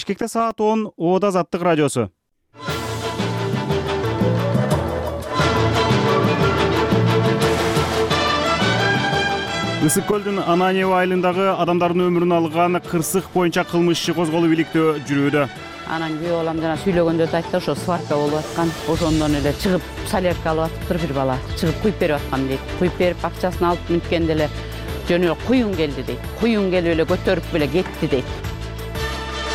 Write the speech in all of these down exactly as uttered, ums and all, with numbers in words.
Бишкекте саат он, Оода Азаттык радиосу. Ысык көлдүн Ананьево айылындагы адамдардын өмүрүн алган кырсык боюнча кылмыш иши козголуп иликтөө жүрүүдө. Анан күйөө балам жана сүйлөгөндө айтты, ошо сварка болуп аткан. Ошондон эле чыгып солярка алып атыптыр бир бала. Чыгып куюп берип аткан дейт. Куюп берип акчасын алып мүнткенде эле жөнө куюн келди дейт. Куюн келип эле көтөрүп эле кетти дейт.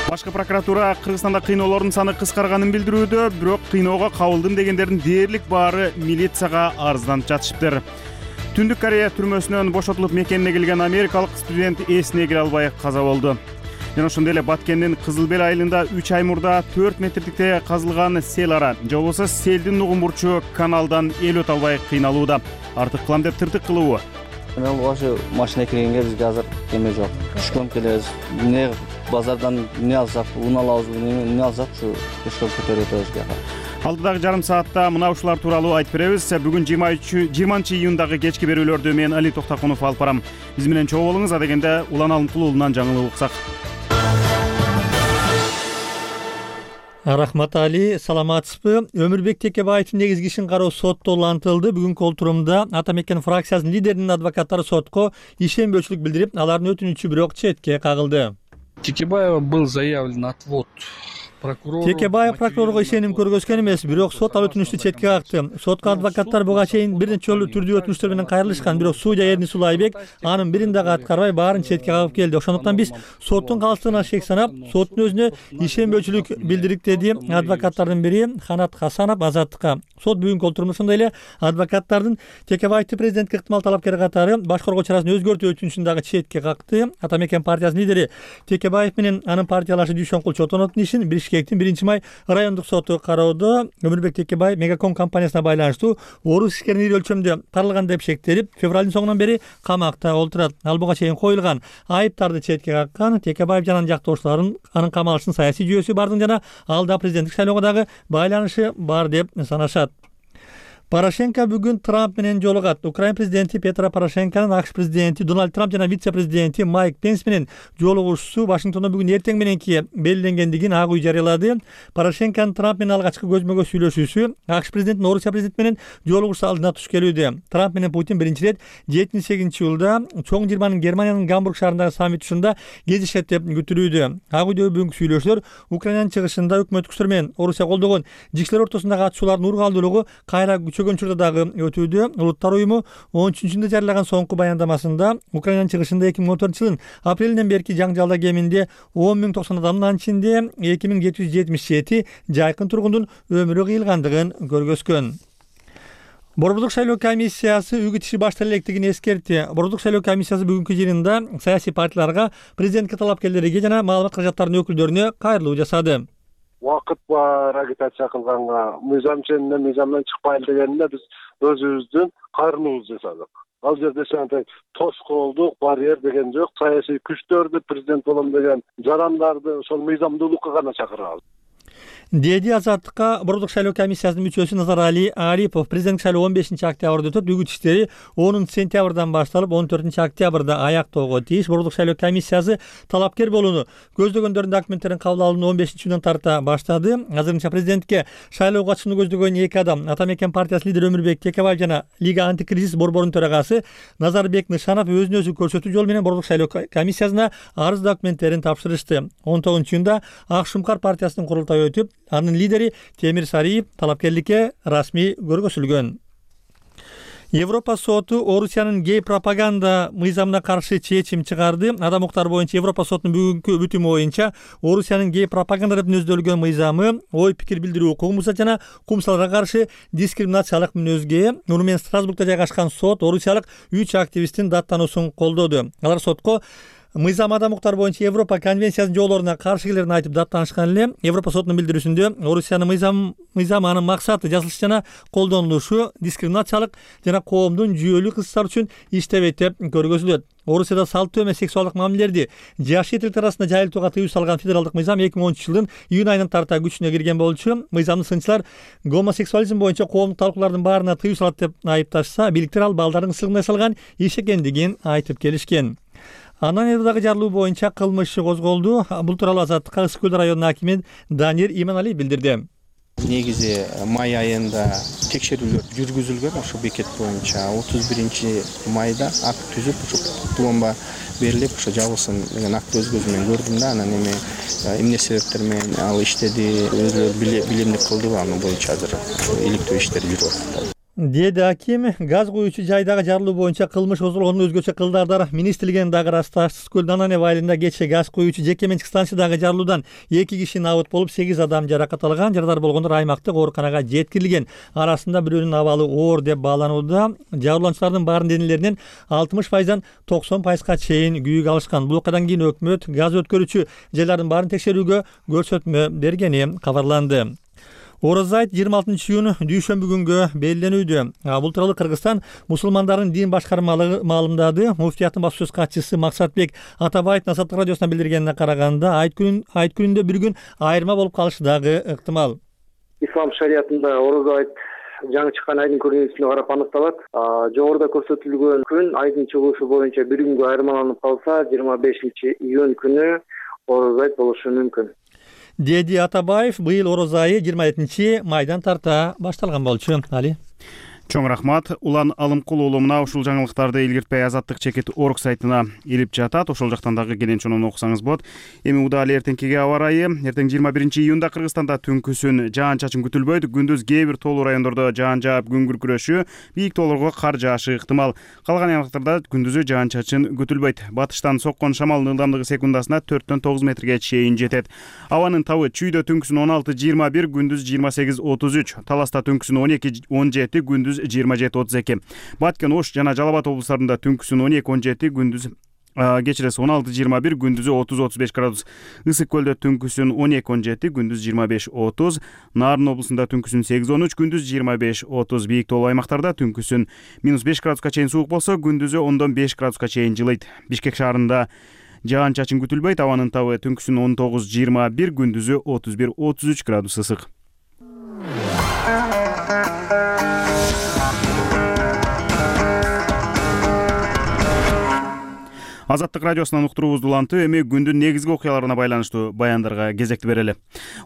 Башкы прокуратура Кыргызстанда кыйноолордун саны кыскарганын билдирүүдө, бирок кыйноого кабылдым дегендердин дээрлик баары милицияга арызданып жатышыптыр. Түндүк Корея түрмөсүнөн бошотулуп мекенине келген америкалык студент эсине келе албай каза болду. Жана ошондой эле Баткендин Кызылбел айылында үч ай мурда төрт метрликте казылган сел ара, же болбосо селдин нугун бурчу каналдан эл өтө албай кыйналууда. Артык кылам деп тыртык кылуу. Мен ошо машина киргенге бизге азыр эме жок. Түшкөн келебиз. Эмне базардан эмне алсак, ун алабызбы, эмне алсак ушу түшкөн көтөрүп өтөбүз. Алдыдагы жарым саатта мына ушулар тууралуу айтып беребиз. Бүгүн жыйырманчы июндагы кечки берүүлөрдү мен Али Токтакунов алып барам. Биз менен чогуу болуңуз, адегенде Улан Алымкулуулунан жаңылык уксак. Рахмат Али, саламатсызбы? Өмүрбек Текебаевдин негизги ишин кароо сотто улантылды. Бүгүнкү отурумда Ата Мекен фракциясынын лидеринин адвокаттары сотко ишенбөөчүлүк билдирип, алардын өтүнүчү бирок четке кагылды. Текебаева был заявлен отвод. Текебаев прокурорго ишеним көргөзгөн эмес, бирок сот ал өтүнүчтү четке какты. Сотко адвокаттар буга чейин бир нече жолу түрдүү өтүнүчтөр менен кайрылышкан, бирок судья Эрни Сулайбек анын бирин дагы аткарбай баарын четке кагып келди. Ошондуктан биз соттун калыстыгына шек санап, соттун өзүнө ишенбөөчүлүк билдирик, деди адвокаттардын бири Ханат Хасанов Азаттыкка. Сот бүгүнкү отурумда ошондой эле адвокаттардын Текебаевди президентке ыктымал талапкер катары баш коргоо чарасын өзгөртүү өтүнүчүн дагы четке какты. Ата Мекен партиясынын лидери Текебаев менен анын партиялашы Дүйшөнкул Чотоновдун ишин Бишкектин биринчи май райондук соту кароодо. Өмүрбек Текебаев Мегаком компаниясына байланыштуу орус ишкерин ири өлчөмдө каралган деп шектелип, февралдын соңунан бери камакта отурат. Ал буга чейин коюлган айыптарды четке каккан. Текебаев жана жактоошуларын анын камалыштын саясий жүйөсү бардыгы жана алда президенттик шайлоого дагы байланышы бар деп санашат. Порошенко бүгүн Трамп менен жолугат. Украина президенти Петро Порошенконун АКШ президенти Дональд Трамп жана вице-президенти Майк Пенс менен жолугушуусу Вашингтондо бүгүн эртең мененки белгиленгендигин Ак үй жарыялады. Порошенконун Трамп менен алгачкы көзмө көз сүйлөшүүсү АКШ президентинин Орусия президенти менен жолугушуу алдына туш келүүдө. Трамп менен Путин биринчи ирет жетинчи сегизинчи жылда чоң жыйырманын Германиянын Гамбург шаарындагы саммит ушунда кезишет деп күтүлүүдө. Ак үйдөгү бүгүнкү сүйлөшүүлөр Украинанын чыгышында өкмөт күчтөр менен Орусия колдогон жигчилер ортосундагы атышуулардын ургалдуулугу кайра чөгөн учурда дагы өтүүдө. Улуттар уюму он үчүнчү июнда жарыялаган соңку баяндамасында Украинанын чыгышында эки миң он төртүнчү жылдын апрелинен берки жаңжалда кеминде он миң токсон адамдын, анын ичинде эки миң жети жүз жетимиш жети жайкын тургундун өмүрү кыйылгандыгын көргөзгөн. Борбордук шайлоо комиссиясы үгүт иши баштала электигин эскертти. Борбордук шайлоо комиссиясы бүгүнкү жыйынында саясий партияларга, президентке талапкерлерге жана маалымат каражаттарынын өкүлдөрүнө кайрылуу жасады. Убакыт бар агитация кылганга, мыйзам ченинен мыйзамдан чыкпайлы дегенде биз өзүбүздүн кайрылуубузду жасадык. Ал жерде сенте тоскоолдук, барьер деген жок. Саясий күчтөрдү, президент болом деген жарандарды ошол мыйзамдуулукка гана чакырабыз, деди Азаттыкка Борбордук шайлоо комиссиясынын мүчөсү Назарали Арипов. Президенттик шайлоо он бешинчи октябрда өтөт. Үгүт иштери онунчу сентябрдан башталып он төртүнчү октябрда аяктоого тийиш. Борбордук шайлоо комиссиясы талапкер болууну көздөгөндөрдүн документтерин кабыл алууну он бешинчи июндан тарта баштады. Азырынча президентке шайлоого катышууну көздөгөн эки адам, Ата Мекен партиясынын лидери Өмүрбек Текебаев жана Лига антикризис борборунун төрагасы Назарбек Нышанов өзүн өзү көрсөтүү жолу менен Борбордук шайлоо комиссиясына арыз документтерин тапшырышты. он тогузунчу июнда Ак Шумкар партиясынын курултайы өтүп, анын лидери Темир Сариев талапкерликке расмий көргөзүлгөн. Европа соту Орусиянын гей пропаганда мыйзамына каршы чечим чыгарды. Адам укуктары боюнча Европа сотунун бүгүнкү бүтүмү боюнча Орусиянын гей пропаганда деп мүнөздөлгөн мыйзамы ой пикир билдирүү укугун бузат жана кумсалдарга каршы дискриминациялык мүнөзгө. Муну менен Страсбургда жайгашкан сот орусиялык үч активисттин даттануусун колдоду. Алар сотко мыйзам адам укуктары боюнча Европа конвенциясынын жоолоруна каршы келерин айтып даттанышкан эле. Европа сотунун билдирүүсүндө Орусиянын мыйзам мыйзам анын максаты жазылышы жана колдонулушу дискриминациялык жана коомдун жүйөлүү кызыктар үчүн иштебейт деп көргөзүлөт. Орусияда салттуу эмес сексуалдык мамилелерди жаш этилер арасында жайылтууга тыюу салган федералдык мыйзам эки миң онунчу жылдын июнь айынан тарта күчүнө кирген болчу. Мыйзамды сынчылар гомосексуализм боюнча коомдук талкуулардын баарына тыюу салат деп айыпташса, бийликтер ал балдардын ысылгына салган иш экендигин айтып келишкен. Анан Эрдагы жарылуу боюнча кылмыш козголду. Бул тууралуу Азаттыкка Ысык Көл районунун акими Данир Иманалиев билдирди. Негизи май айында текшерүүлөр жүргүзүлгөн ошо бекет боюнча отуз биринчи майда акт түзүп ошо пломба берилип ошо жабылсын деген актты өз көзүм менен көрдүм да. Анан эми эмне себептер менен ал иштеди, өзүлөрү билемдик кылдыбы, аны боюнча азыр иликтөө иштери жүрүп атат. Деди аким, газ куюучу жайдагы жарылуу боюнча кылмыш козголгондун өзгөчө кылдардары министрлигинин дагы ырасташты. Ысык Көл Дананев айылында кечээ газ куюучу жеке менчик станциядагы жарылуудан эки киши набыт болуп, сегиз адам жаракат алган. Жарадар болгондор аймактык ооруканага жеткирилген. Арасында бирөөнүн абалы оор деп бааланууда. Жабырлануучулардын баарынын денелеринен алтымыш пайыздан токсон пайызга чейин күйүк алышкан. Бул окуядан кийин өкмөт газ өткөрүүчү жайлардын баарын текшерүүгө көрсөтмө бергени кабарланды. Ороз айт жыйырма алтынчы июнь дүйшөмбү күнгө белгиленүүдө. Бул тууралуу Кыргызстан мусулмандардын дин башкармалыгы маалымдады. Муфтияттын басма сөз катчысы Максатбек Атабаев Азаттык радиосуна билдиргенине караганда, айт күнүн айт күнүндө бир күн айырма болуп калышы дагы ыктымал. Ислам шариятында ороз айт жаңы чыккан айдын көрүнүшүнө карап аныкталат. Жогоруда көрсөтүлгөн күн айдын чыгуусу боюнча бир күнгө айырмаланып калса, жыйырма бешинчи июнь күнү ороз айт болушу мүмкүн. Деди Атабаев, быйыл ороз айы жыйырма экинчи майдан тарта башталган болчу. Али. Чоң рахмат. Улан Алымкул уулу мына ушул жаңылыктарды илгиртпей Азаттык чекит орг сайтына илип жатат. Ошол жактан дагы кенен чонун окусаңыз болот. Эми удаа эле эртеңкиге аба ырайы. Эртең жыйырма биринчи июнда Кыргызстанда түнкүсүн жаан-чачын күтүлбөйт. Күндүз кээ бир тоолуу райондордо жаан жаап, күн күркүрөшү, бийик тоолорго кар жаашы ыктымал. Калган аймактарда күндүзү жаан-чачын күтүлбөйт. Батыштан соккон шамалдын ылдамдыгы секундасына төрттөн тогуз метрге чейин жетет. Абанын табы Чүйдө түнкүсүн он алты жыйырма бир, күндүз жыйырма сегиз отуз үч, Таласта түнкүсүн он эки он жети, күндүз жыйырма жети отуз эки. Баткен, Ош жана Жалал Абад облустарында түнкүсүн он эки он жети, күндүз кечирesi он алты жыйырма бир, күндүзү отуз отуз беш градус. Ысык Көлдө түнкүсүн он эки он жети, күндүз жыйырма беш отуз. Нарын облусунда түнкүсүн сегиз он үч, күндүз жыйырма беш отуз. Бийик тоолуу аймактарда түнкүсүн минус беш градуска чейин суук болсо, күндүзү ондон беш градуска чейин жылыйт. Бишкек шаарында жаан-чачын күтүлбөйт. Абанын табы түнкүсүн он тогуз жыйырма бир, күндүзү отуз бир отуз үч градус ысык. Азаттык радиосунан уктуруубузду улантып, эми күндүн негизги окуяларына байланыштуу баяндарга кезекти берели.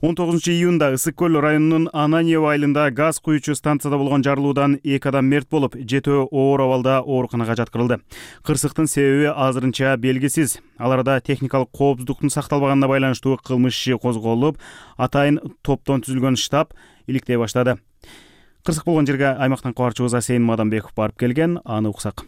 он тогузунчу июнда Ысык Көл районунун Ананьев айылында газ куюучу станцияда болгон жарылуудан эки адам мерт болуп, жетөө оор абалда ооруканага жаткырылды. Кырсыктын себеби азырынча белгисиз. Ал арада техникалык коопсуздуктун сакталбаганына байланыштуу кылмыш иши козголуп, атайын топтон түзүлгөн штаб иликтей баштады. Кырсык болгон жерге аймактан кабарчыбыз Асейин Мадамбеков барып келген, аны уксак.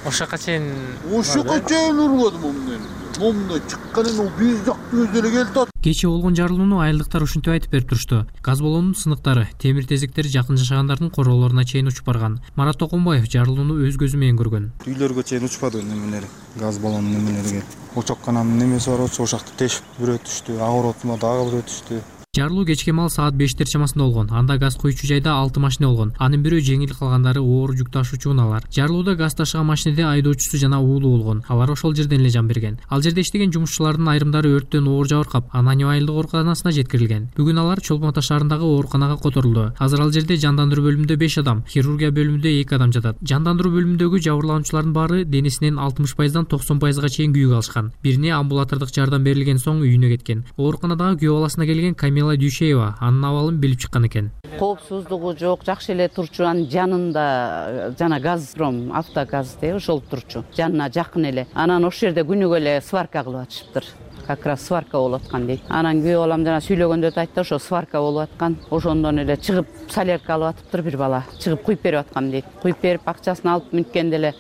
Ошака чейин Ошака чейин ургадым момун. Момунда чыкканын ол биз жакты өзүлө келди. Кече болгон жарылууну айылдыктар ушинтип айтып берип турушту. Газ баллонунун сыныктары, темир тезектери жакын жашагандардын короолоруна чейин учуп барган. Марат Токомбаев жарылууну өз көзү менен көргөн. Үйлөргө чейин учпады немелери, газ баллонунун немелери келип. Очоккананын немеси бар болчу, ошакты тешип бирөө түштү, агыр отума дагы бирөө түштү. Жарылуу кечки мал саат бештер чамасында болгон. Анда газ куюучу жайда алты машина болгон. Анын бирөө жеңил, калгандары оор жүк ташуучу унаалар. Жарылууда газ ташыган машинеде айдоочусу жана уулу болгон. Алар ошол жерден эле жан берген. Ал жерде иштеген жумушчулардын айрымдары өрттөн оор жабыркап, Ананьев айылдык ооруканасына жеткирилген. Бүгүн алар Чолпон Ата шаарындагы ооруканага которулду. Азыр ал жерде жандандыруу бөлүмүндө беш адам, хирургия бөлүмүндө эки адам жатат. Жандандыруу бөлүмүндөгү жабырлануучулардын баары денесинен алтымыш пайыздан токсон пайызга чейин күйүк алышкан. Бирине амбулатордук жардам берилген соң үйүнө кеткен. Ооруканадагы күйөө баласына келген Камила Дүйшеева анын абалын билип чыккан экен. Коопсуздугу жок, жакшы эле турчу. Анын жанында жана Газпром автогаз деп ошол турчу. Жанына жакын эле. Анан ошол жерде күнүгө эле сварка кылып атышыптыр. Как раз сварка болуп аткан дейт. Анан күйөө балам жана сүйлөгөндө да айтты, ошо сварка болуп аткан. Ошондон эле чыгып солярка алып атыптыр бир бала. Чыгып куюп берип аткан дейт. Куюп берип акчасын алып мүнткенде эле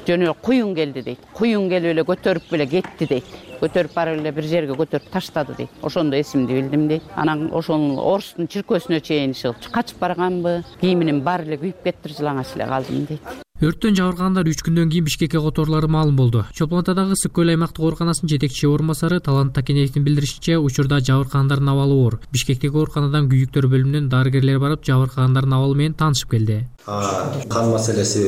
жөнө куюн келди дейт. Куюн келип эле көтөрүп эле кетти дейт. Көтөрүп барып эле бир жерге көтөрүп таштады дейт. Ошондо эсимди билдим дейт. Анан ошол Орустун чиркөөсүнө чейин чыгып качып барганбы, кийиминин баары эле күйүп кетиптир, жылаңач эле калдым дейт. Өрттөн жабыркагандар үч күндөн кийин Бишкекке которулары маалым болду. Чолпон Атадагы Ысык Көл аймактык ооруканасынын жетекчи орун басары Талант Такенеевдин билдиришинче, учурда жабыркагандардын абалы оор. Бишкектеги ооруканадан күйүктөр бөлүмүнөн дарыгерлер барып, жабыркагандардын абалы менен таанышып келди. Кан маселеси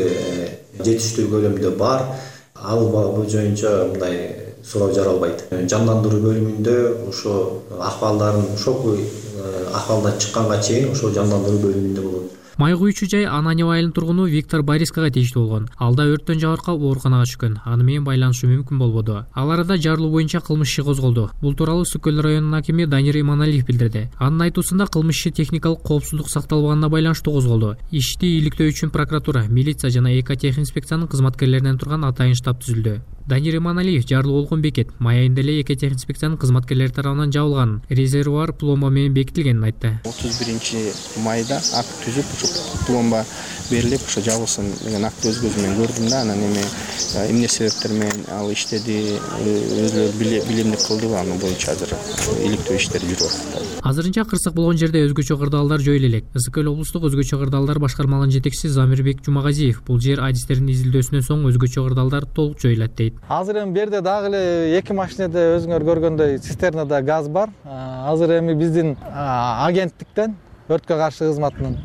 жетиштүү көлөмдө бар. Ал боюнча мындай суроо жаралбайт. Жандандыруу бөлүмүндө ошо акыбалдарын шоку акыбалдан чыкканга чейин ошо жандандыруу бөлүмүндө болот. Май куючу жай Ананьево айылынын тургуну Виктор Борискага тийиштүү болгон. Алда өрттөн жабыркап ооруканага түшкөн. Аны менен байланышы мүмкүн болбоду. Ал арада жарылуу боюнча кылмыш иши козголду. Бул тууралуу Ысык көл районунун акими Данир Иманалиев билдирди. Анын айтуусунда кылмыш иши техникалык коопсуздук сакталбаганына байланыштуу козголду. Ишти иликтөө үчүн прокуратура, милиция жана экотехинспекциянын кызматкерлеринен турган атайын штаб түзүлдү. Данир Иманалиев жарылуу болгон бекет май айында эле экотехинспекциянын кызматкерлери тарабынан жабылганын, резервуар пломба менен бекитилгенин айтты. отуз биринчи майда акт түзүп, ушу пломба берилип, ушу жабылсын деген актты өз көзүм менен көрдүм да, анан эми эмне себептер менен ал иштеди, өзүлөрү билимдик кылды, аны боюнча азыр иликтөө иштери жүрүп атат. Азырынча кырсык болгон жерде өзгөчө кырдаалдар жоюла элек. Ысык көл облустук өзгөчө кырдаалдар башкармалыгынын жетекчиси Замирбек Жумагазиев бул жер адистердин изилдөөсүнөн соң өзгөчө кырдаалдар толук жоюлат дейт. Азыр эми берде дагы эле эки машинеде өзүңөр көргөндөй цистернада газ бар. Азыр эми биздин агенттиктен өрткө каршы кызматынын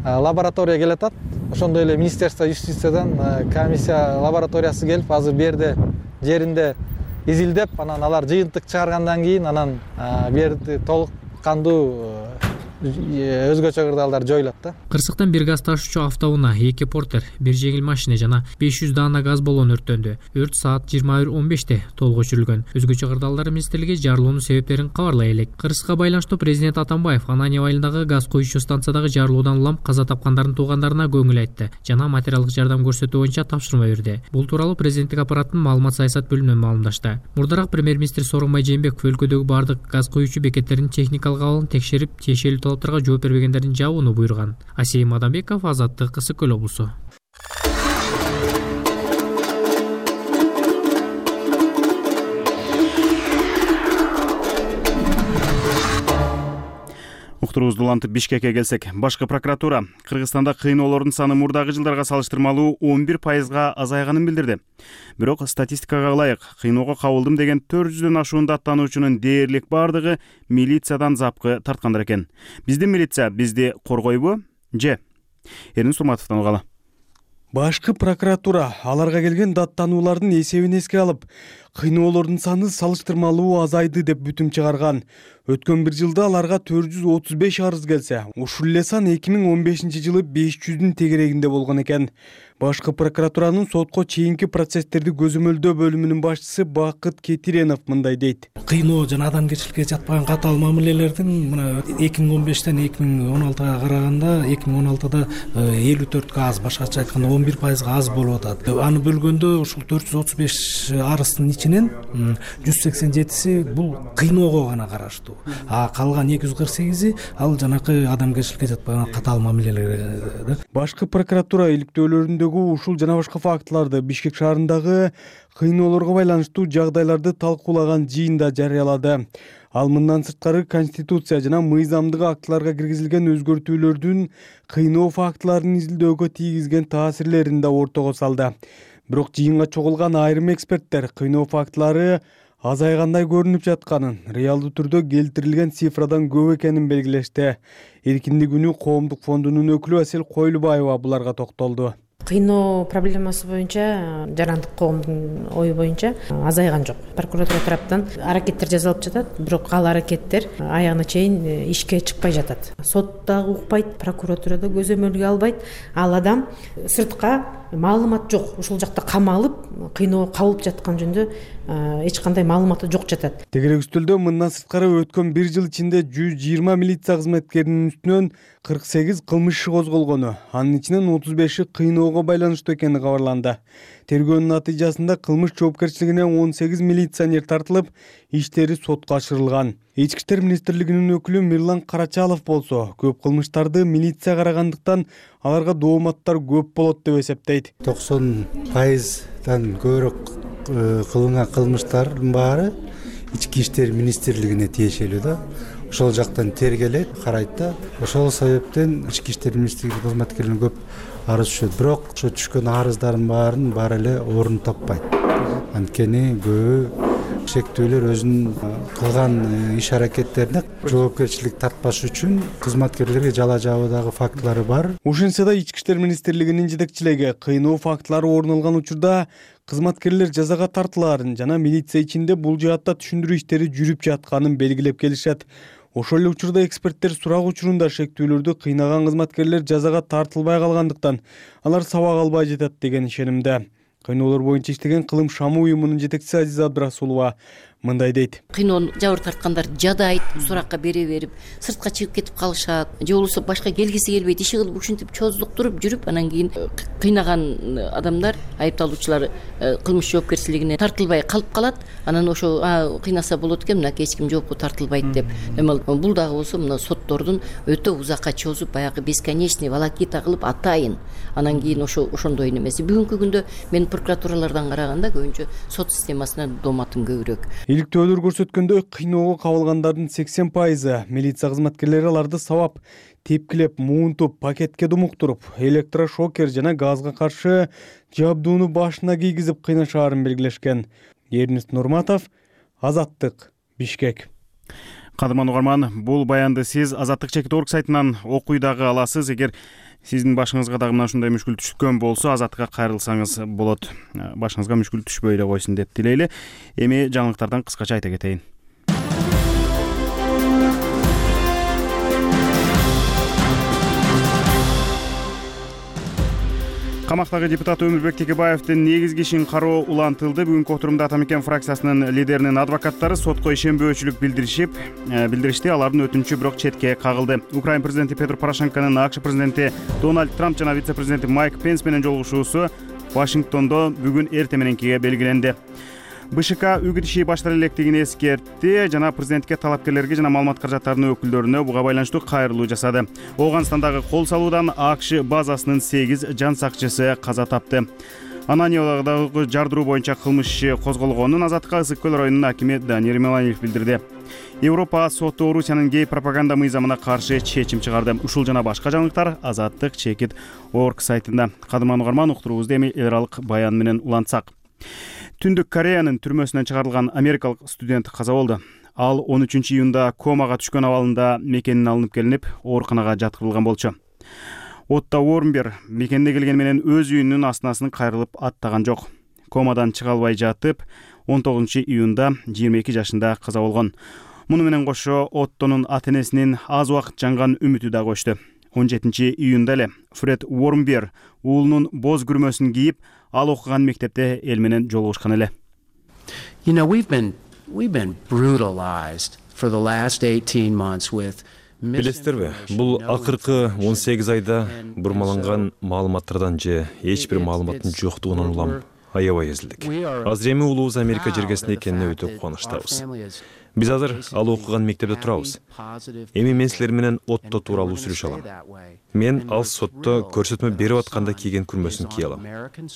лаборатория келатат. Ошондой эле Министерство юстициядан комиссия лабораториясы келип, азыр берде жеринде изилдеп, анан алар жыйынтык чыгаргандан кийин анан берди толук кандуу өзгөчө кырдаалдар жоюлат да. Кырсыктан бир газ ташуучу автоунаа, эки портер, бир жеңил машина жана беш жүз даана газ баллон өрттөндү. Өрт саат жыйырма бир он беште толук өчүрүлгөн. Өзгөчө кырдаалдар министрлиги жарылуунун себептерин кабарлай элек. Кырсыкка байланыштуу президент Атамбаев Ананьево айылындагы газ куючу станциядагы жарылуудан улам каза тапкандардын туугандарына көңүл айтты жана материалдык жардам көрсөтүү боюнча тапшырма берди. Бул тууралуу президенттик аппараттын маалымат саясат бөлүмүнөн маалымдашты. Мурдараак премьер-министр Сооронбай Жээнбеков өлкөдөгү бардык газ куючу бекеттердин техникалык абалын текшерип, тиешелүү талаптарга жооп бергендердин жабууну буйруган. Асейим Адамбеков, Азаттык, Ысык көл облусу. Уктуруубузду улантып Бишкекке келсек, башкы прокуратура Кыргызстанда кыйноолордун саны мурдагы жылдарга салыштырмалуу он бир пайызга азайганын билдирди. Бирок статистикага ылайык, кыйноого кабылдым деген төрт жүздөн ашуун даттануучунун дээрлик бардыгы милициядан запкы тарткандар экен. Биздин милиция бизди коргойбу? Же? Эрин Сурматовдон угалы. Башкы прокуратура аларга келген даттануулардын эсебин эске алып, кыйноолордун саны салыштырмалуу азайды деп бүтүм чыгарган. Өткөн бир жылда аларга төрт жүз отуз беш арыз келсе, ушул эле сан эки миң он бешинчи жылы беш жүздүн тегерегинде болгон экен. Башкы прокуратуранын сотко чейинки процесстерди көзөмөлдөө бөлүмүнүн башчысы Бакыт Кетиренов мындай дейт. Кыйноо жана адамгерчиликке жатпаган катаал мамилелердин мына эки миң он бештен эки миң он алтыга караганда эки миң он алтыда элүү төрткө аз, башкача айтканда он бир пайызга аз болуп атат. Аны бөлгөндө ушул төрт жүз отуз беш арыздын ичинен жүз сексен жетиси бул кыйноого гана караштуу. А калган эки жүз кырк сегизи ал жанакы адамгерчиликке жатпаган катаал мамилелер. Башкы прокуратура иликтөөлөрүндөгү ушул жана башка фактыларды Бишкек шаарындагы кыйноолорго байланыштуу жагдайларды талкуулаган жыйында жарыялады. Ал мындан сырткары Конституция жана мыйзамдык актыларга киргизилген өзгөртүүлөрдүн кыйноо фактыларын изилдөөгө тийгизген таасирлерин да ортого салды. Бирок жыйынга чогулган айрым эксперттер кыйноо фактылары азайгандай көрүнүп жатканын, реалдуу түрдө келтирилген цифрадан көп экенин белгилешти. Эркиндик үнү коомдук фондунун өкүлү Асель Койлубаева буларга токтолду. Кыйноо проблемасы боюнча, жарандык коомдун ою боюнча азайган жок. Прокуратура тараптан аракеттер жасалып жатат, бирок ал аракеттер аягына чейин ишке чыкпай жатат. Сот дагы укпайт, прокуратурада көзөмөлгө албайт. Ал адам сыртка маалымат жок, ушул жакта камалып, кыйноо кабылып жаткан жөнүндө эч кандай маалыматы жок жатат. Тегерек үстөлдө мындан сырткары өткөн бир жыл ичинде жүз жыйырма милиция кызметкеринин үстүнөн кырк сегиз кылмыш иши козголгону, анын ичинен отуз беши кыйноого байланыштуу экени кабарланды. Тергөөнүн натыйжасында кылмыш жоопкерчилигине он сегиз милиционер тартылып, иштери сотко ашырылган. Ички иштер министрлигинин өкүлү Мирлан Карачалов болсо, көп кылмыштарды милиция карагандыктан аларга дооматтар көп болот деп эсептейт. токсон пайыздан көбүрөөк кылынган кылмыштардын баары ички иштер министрлигине тиешелүү да. Ошол жактан тергелет, карайт да. Ошол себептен ички иштер министрлиги кызматкерлерин көп арыз түшөт. Бирок ошо түшкөн арыздардын баарын баары эле орун таппайт. Анткени көбү шектүүлөр өзүнүн кылган иш аракеттерине жоопкерчилик тартпаш үчүн кызматкерлерге жала жабуудагы фактылары бар. Ушинсе да ички иштер министрлигинин жетекчилиги кыйноо фактылары орун алган учурда кызматкерлер жазага тартылаарын жана милиция ичинде бул жаатта түшүндүрүү иштери жүрүп жатканын белгилеп келишет. Ошол эле учурда эксперттер сурак учурунда шектүүлөрдү кыйнаган кызматкерлер жазага тартылбай калгандыктан алар сабак албай жатат деген ишенимде. Кыйноолор боюнча иштеген Кылым Шамы уюмунун жетекчиси Азиза Абдрасулова мындай дейт. Кыйноо жабыр тарткандар жадайт, суракка бере берип, сыртка чыгып кетип калышат. Же болбосо башка келгиси келбейт, иши кылып ушинтип чоздуктуруп жүрүп, анан кийин кыйнаган адамдар, айыпталуучулар кылмыш жоопкерчилигине тартылбай калып калат. Анан ошо кыйнаса болот экен, мына эч ким жоопко тартылбайт деп. Эми бул дагы болсо мына соттордун өтө узакка чозуп, баягы бесконечный волокита кылып атайын. Анан кийин ошо ошондой немеси. Бүгүнкү күндө мен прокуратуралардан караганда көбүнчө сот системасына доматым көбүрөөк. Иликтөөлөр көрсөткөндөй, кыйноого кабылгандардын сексен пайызы милиция кызматкерлери аларды сабап, тепкилеп, муунтуп, пакетке думуктуруп, электрошокер жана газга каршы жабдууну башына кийгизип кыйнашаарын белгилешкен. Эрнест Нурматов, Азаттык, Бишкек. Кадырман угарман, бул баянды сиз Азаттык чекит орг сайтынан окуй дагы аласыз. Эгер сиздин башыңызга дагы мына ушундай мүшкүл түшкөн болсо, Азаттыкка кайрылсаңыз болот. Башыңызга мүшкүл түшпөй эле койсун деп тилейли. Эми жаңылыктардан кыскача айта кетейин. Камактагы депутат Өмүрбек Текебаевдин негизги ишин кароо улантылды. Бүгүнкү отурумда Ата мекен фракциясынын лидеринин адвокаттары сотко ишенбөөчүлүк билдиришип, билдиришти. Алардын өтүнүчү бирок четке кагылды. Украин президенти Петр Порошенконун АКШ президенти Дональд Трамп жана вице-президенти Майк Пенс менен жолугушуусу Вашингтондо бүгүн эрте мененкиге белгиленди. БШК үгүт иши баштала электигин эскертти жана президентке, талапкерлерге жана маалымат каражаттарынын өкүлдөрүнө буга байланыштуу кайрылуу жасады. Оуганстандагы кол салуудан АКШ базасынын сегиз жан сакчысы каза тапты. Ананьевдагы жардыруу боюнча кылмыш иши козголгонун Азаттыкка Ысык көл районунун акими Даниил Меланиев билдирди. Европа соту Орусиянын гей пропаганда мыйзамына каршы чечим чыгарды. Ушул жана башка жаңылыктар Азаттык чекит орг сайтында. Кадырман угарман, уктуруубузду эми эл аралык баян менен улантсак. Түндүк Кореянын түрмөсүнөн чыгарылган америкалык студент каза болду. Ал он үчүнчү июнда комага түшкөн абалында мекенинен алынып келинип, ооруканага жаткырылган болчу. Отто Уормбер мекенине келген менен өз үйүнүн астынасын кайрылып аттаган жок. Комадан чыга албай жатып, он тогузунчу июнда жыйырма эки жашында каза болгон. Муну менен кошо Оттонун ата-энесинин аз убакыт жанган үмүтү да көчтү. он жетинчи июнда эле Фред Уормбер уулунун боз күрмөсүн кийип, ал окуган мектепте эл менен жолугушкан эле. You know, we've been we've been brutalized for the last eighteen months with Билестерби, бул акыркы он сегиз айда бурмаланган маалыматтардан же эч бир маалыматтын жоктугунан улам аябай эзилдик. Азыр эми уулубуз Америка жергесинде экенине өтө кубанычтабыз. Биз азыр ал окуган мектепте турабыз. Эми мен силер менен Отто тууралуу сүйлөшө алам. Мен ал сотто көрсөтмө берип атканда кийген күрмөсүн кие алам.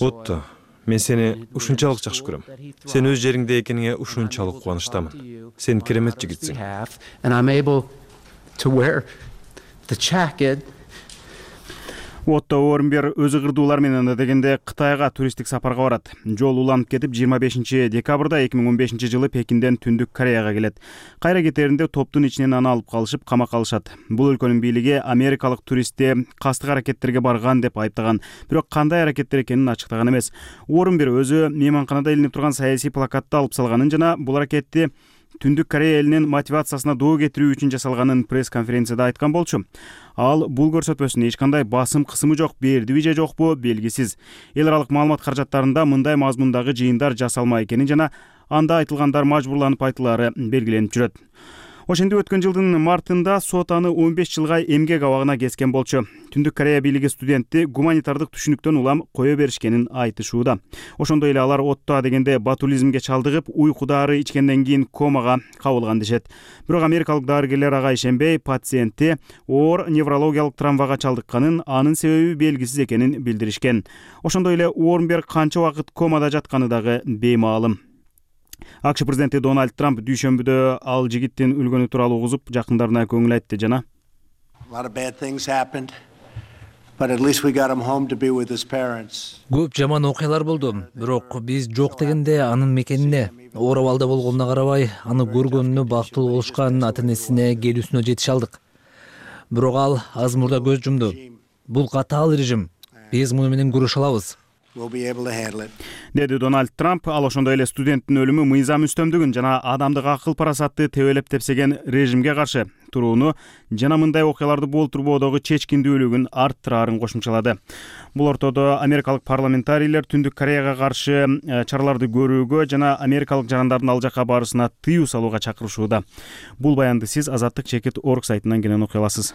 Отто, мен сени ушунчалык жакшы көрөм. Сен өз жериңде экениңе ушунчалык кубанычтамын. Сен керемет жигитсиң. To wear the jacket. Отто Уормбер өзү кырдуулар менен дегенде Кытайга туристтик сапарга барат. Жол уланып кетип жыйырма бешинчи декабрда эки миң он бешинчи жылы Пекинден Түндүк Кореяга келет. Кайра кетеринде топтун ичинен аны алып калышып, камакка алышат. Бул өлкөнүн бийлиги америкалык туристти кастык аракеттерге барган деп айыптаган, бирок кандай аракеттер экенин ачыктаган эмес. Уормбер өзү мейманканада илинип турган саясий плакатты алып салганын жана бул аракетти Түндүк Корея элинин мотивациясына доо кетирүү үчүн жасалганын пресс-конференцияда айткан болчу. Ал бул көрсөтмөсүн эч кандай басым кысымы жок, бердиби же жокпу белгисиз. Эл аралык маалымат каражаттарында мындай мазмундагы жыйындар жасалма экенин жана анда айтылгандар мажбурланып айтылары белгиленип жүрөт. Ошентип өткөн жылдын мартында сот аны он беш жылга эмгек абагына кескен болчу. Түндүк Корея бийлиги студентти гуманитардык түшүнүктөн улам кое беришкенин айтышууда. Ошондой эле алар Отто дегенде ботулизмге чалдыгып, уйку дары ичкенден кийин комага кабылган дешет. Бирок америкалык дарыгерлер ага ишенбей, пациентти оор неврологиялык травмага чалдыкканын, анын себеби белгисиз экенин билдиришкен. Ошондой эле Уормбер канча убакыт комада жатканы дагы беймаалым. АКШ президенти Дональд Трамп дүйшөмбүдө ал жигиттин өлгөнү тууралуу угузуп, жакындарына көңүл айтты жана Көп жаман окуялар болду, бирок биз жок дегенде анын мекенине, оор абалда болгонуна карабай, аны көргөнүнө бактылуу болушкан ата-энесине келүүсүнө жетише алдык. Бирок ал аз мурда көз жумду. Бул катаал режим. Биз муну менен күрөшө алабыз. деди Дональд Трамп. Ал ошондой эле студенттин өлүмү мыйзам үстөмдүгүн жана адамдык акыл парасатты тебелеп тепсеген режимге каршы турууну жана мындай окуяларды болтурбоодогу чечкиндүүлүгүн арттыраарын кошумчалады. Бул ортодо америкалык парламентарийлер Түндүк Кореяга каршы чараларды көрүүгө жана америкалык жарандардын ал жакка барышына тыюу салууга чакырышууда. Бул баянды сиз азаттык чекит точка орг сайтынан кенен окуй аласыз.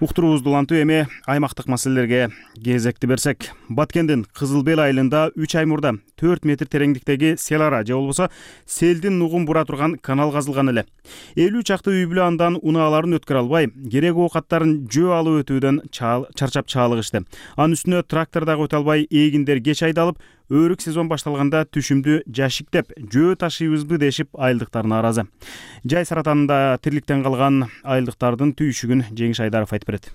Уктуруубузду улантуу эми аймактык маселелерге кезекти берсек. Баткендин Кызыл Бел айылында үч ай мурда төрт метр тереңдиктеги сел ара же болбосо селдин нугун бура турган канал казылган эле. элүү чакты үй бүлө андан унааларын өткөрө албай, керек оокаттарын жөө алып өтүүдөн чарчап чаалыгышты. Анын үстүнө трактор дагы өтө албай, эгиндер кеч айдалып, өрүк сезон башталганда түшүмдү жашиктеп, жөө ташыйбызбы дешип айылдыктар нааразы. Жай саратанында тирликтен калган айылдыктардын түйүшүгүн Жеңиш Айдаров айтып берет.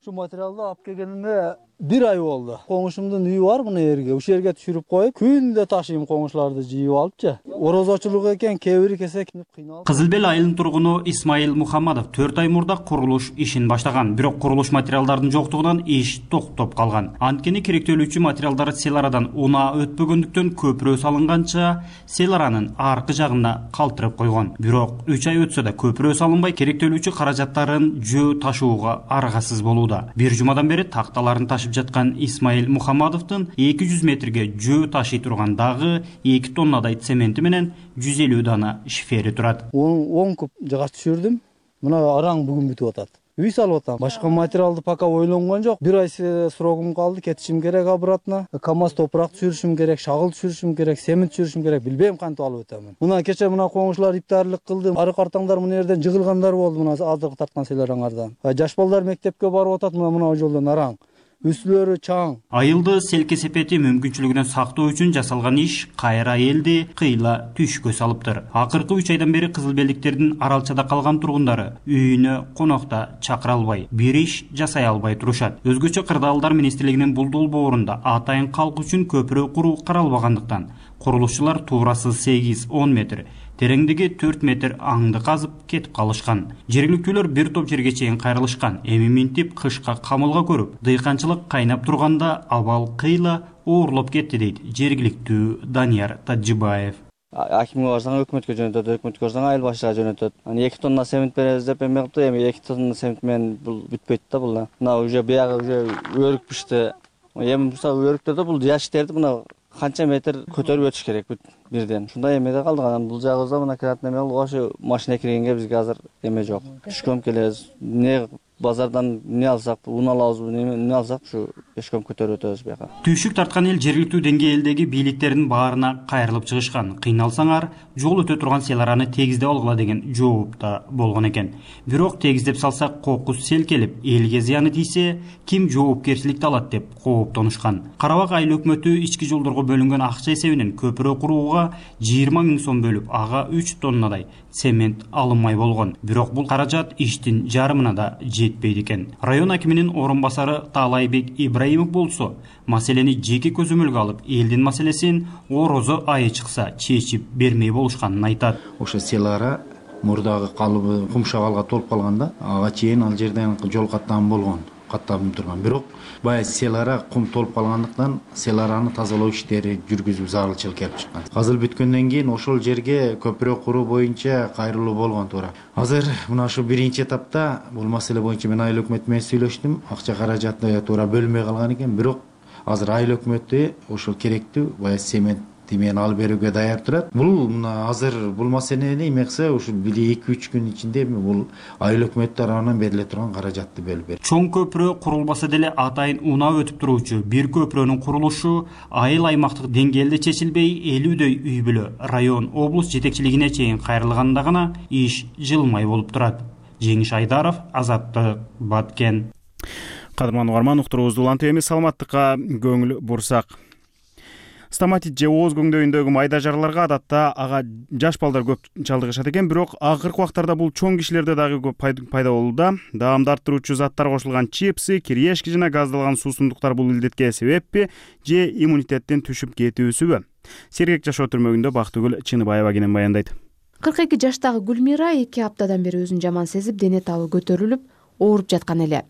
Ушу материалды алып келгенине бир ай болду. Коңушумдун үйү бар мына жерге. Ушул жерге түшүрүп коюп, күндө ташыйм коңушларды жыйып алыпчы. Орозочулук экен, кээ бири кесек кыйналып. Кызыл Бел айылынын тургуну Исмаил Мухаммадов төрт ай мурда курулуш ишин баштаган. Бирок курулуш материалдардын жоктугунан иш токтоп калган. Анткени керектөлүүчү материалдар сел арадан унаа өтпөгөндүктөн көпүрө салынганча сел аранын аркы жагына калтырып койгон. Бирок үч ай өтсө да көпүрө салынбай, керектөлүүчү каражаттарын жөө ташууга аргасыз болууда. Бир жумадан бери такталарын ташып жаткан Исмаил Мухаммадовдун эки жүз метрге жөө ташый турган дагы эки тоннадай цементи менен жүз элүү дана шифери турат. он куб жыгач түшүрдүм. Мына араң бүгүн бүтүп атат. Үй салып атам. Башка материалды пока ойлонгон жок. Бир ай срогум калды, кетишим керек обратно. КамАЗ топурак түшүрүшүм керек, шагыл түшүрүшүм керек, семент түшүрүшүм керек. Билбейм кантип алып өтөмүн. Мына кече мына коңушлар иптарлык кылды. Ары картаңдар мына жерден жыгылгандар болду, мына азыркы тарткан селараңардан. Жаш балдар мектепке барып атат, мына мына жолдон араң. Үстүлөрү чаң. Айылды селке сепети мүмкүнчүлүгүнөн сактоо үчүн жасалган иш кайра элди кыйла түшкө салыптыр. Акыркы үч айдан бери Кызыл Белдиктердин аралчада калган тургундары үйүнө конокто чакыра албай, бир иш жасай албай турушат. Өзгөчө Кырдаалдар министрлигинин бул долбоорунда атайын калк үчүн көпүрө куруу каралбагандыктан курулушчулар туурасы сегиз он метр, тереңдиги төрт метр аңды казып кетип калышкан. Жергиликтүүлөр бир топ жерге чейин кайрылышкан. Эми минтип кышка камылга көрүп, дыйканчылык кайнап турганда абал кыйла оорлоп кетти дейт жергиликтүү Данияр Таджибаев. Акимге барсаң өкмөткө жөнөтөт, өкмөткө барсаң айыл башчыга жөнөтөт. Аны эки тонна семент беребиз деп эме кылыптыр, эми эки тонна семент менен бул бүтпөйт да бул. Мына уже биягы уже өрүк пишти. Эми мисалы өрүктөрдө бул жашиктерди мына канча метр көтөрүп өтүш керек бүт бирден. Ушундай эмеде калдык. Анан бул жагыбызда мына киратын эме ошо машина киргенге бизге азыр эме жок. Түшкөм келебиз. Не базардан не алсак, ун алабызбы, не алсак ушу пешком көтөрүп өтөбүз бияка. Түйшүк тарткан эл жергиликтүү деңгээлдеги бийликтердин баарына кайрылып чыгышкан. Кыйналсаңар жол өтө турган сел араны тегиздеп алгыла деген жооп да болгон экен. Бирок тегиздеп салсак кокус сел келип, элге зыяны тийсе, ким жоопкерчиликти алат деп кооптонушкан. Карабак айыл өкмөтү ички жолдорго бөлүнгөн акча эсебинен көпүрө курууга жыйырма миң сом бөлүп, ага үч тоннадай цемент алынмай болгон. Бирок бул каражат иштин жарымына да жетпейт экен. Район акиминин орун басары Таалайбек Ибраимов болсо, маселени жеке көзөмөлгө алып, элдин маселесин орозо айы чыкса чечип бермей болушканын айтат. Ошо сел ара мурдагы калыбы кумшагалга толуп калганда, ага чейин ал жерден жол каттам болгон, каттабым турган. Бирок баягы сел ара кум толуп калгандыктан сел араны тазалоо иштери жүргүзүү зарылчылык келип чыккан. Казыл бүткөндөн кийин ошол жерге көпүрө куруу боюнча кайрылуу болгон туура. Азыр мына ушу биринчи этапта бул маселе боюнча мен айыл өкмөтү менен сүйлөштүм. Акча каражаты туура бөлмөй калган экен. Бирок азыр айыл өкмөтү ошол керектүү баягы цемент мен алып берүүгө даяр турат. Бул мына азыр бул маселени эме кылса, ушу бир эки үч күн ичинде бул айыл өкмөт тарабынан бериле турган каражатты бөлүп берет. Чоң көпүрө курулбаса деле атайын унаа өтүп туруучу бир көпүрөнүн курулушу айыл аймактык деңгээлде чечилбей, элүүдөй үй бүлө район, облус жетекчилигине чейин кайрылганда гана иш жылмай болуп турат. Жеңиш Айдаров, Азаттык, Баткен. Кадырман угарман, уктуруубузду улантып эми саламаттыкка көңүл бурсак. Стоматит же ооз көңдөйүндөгү майда жараларга адатта ага жаш балдар көп чалдыгышат экен, бирок акыркы убактарда бул чоң кишилерде дагы көп пайда болууда. Даамды арттыруучу заттар кошулган чипсы, кириешки жана газдалган суусундуктар бул илдетке себеппи же иммунитеттин түшүп кетүүсүбү? Сергек жашоо түрмөгүндө Бактыгүл Чыныбаева кенен баяндайт. кырк эки жаштагы Гүлмира эки аптадан бери өзүн жаман сезип, дене табы көтөрүлүп, ооруп жаткан эле.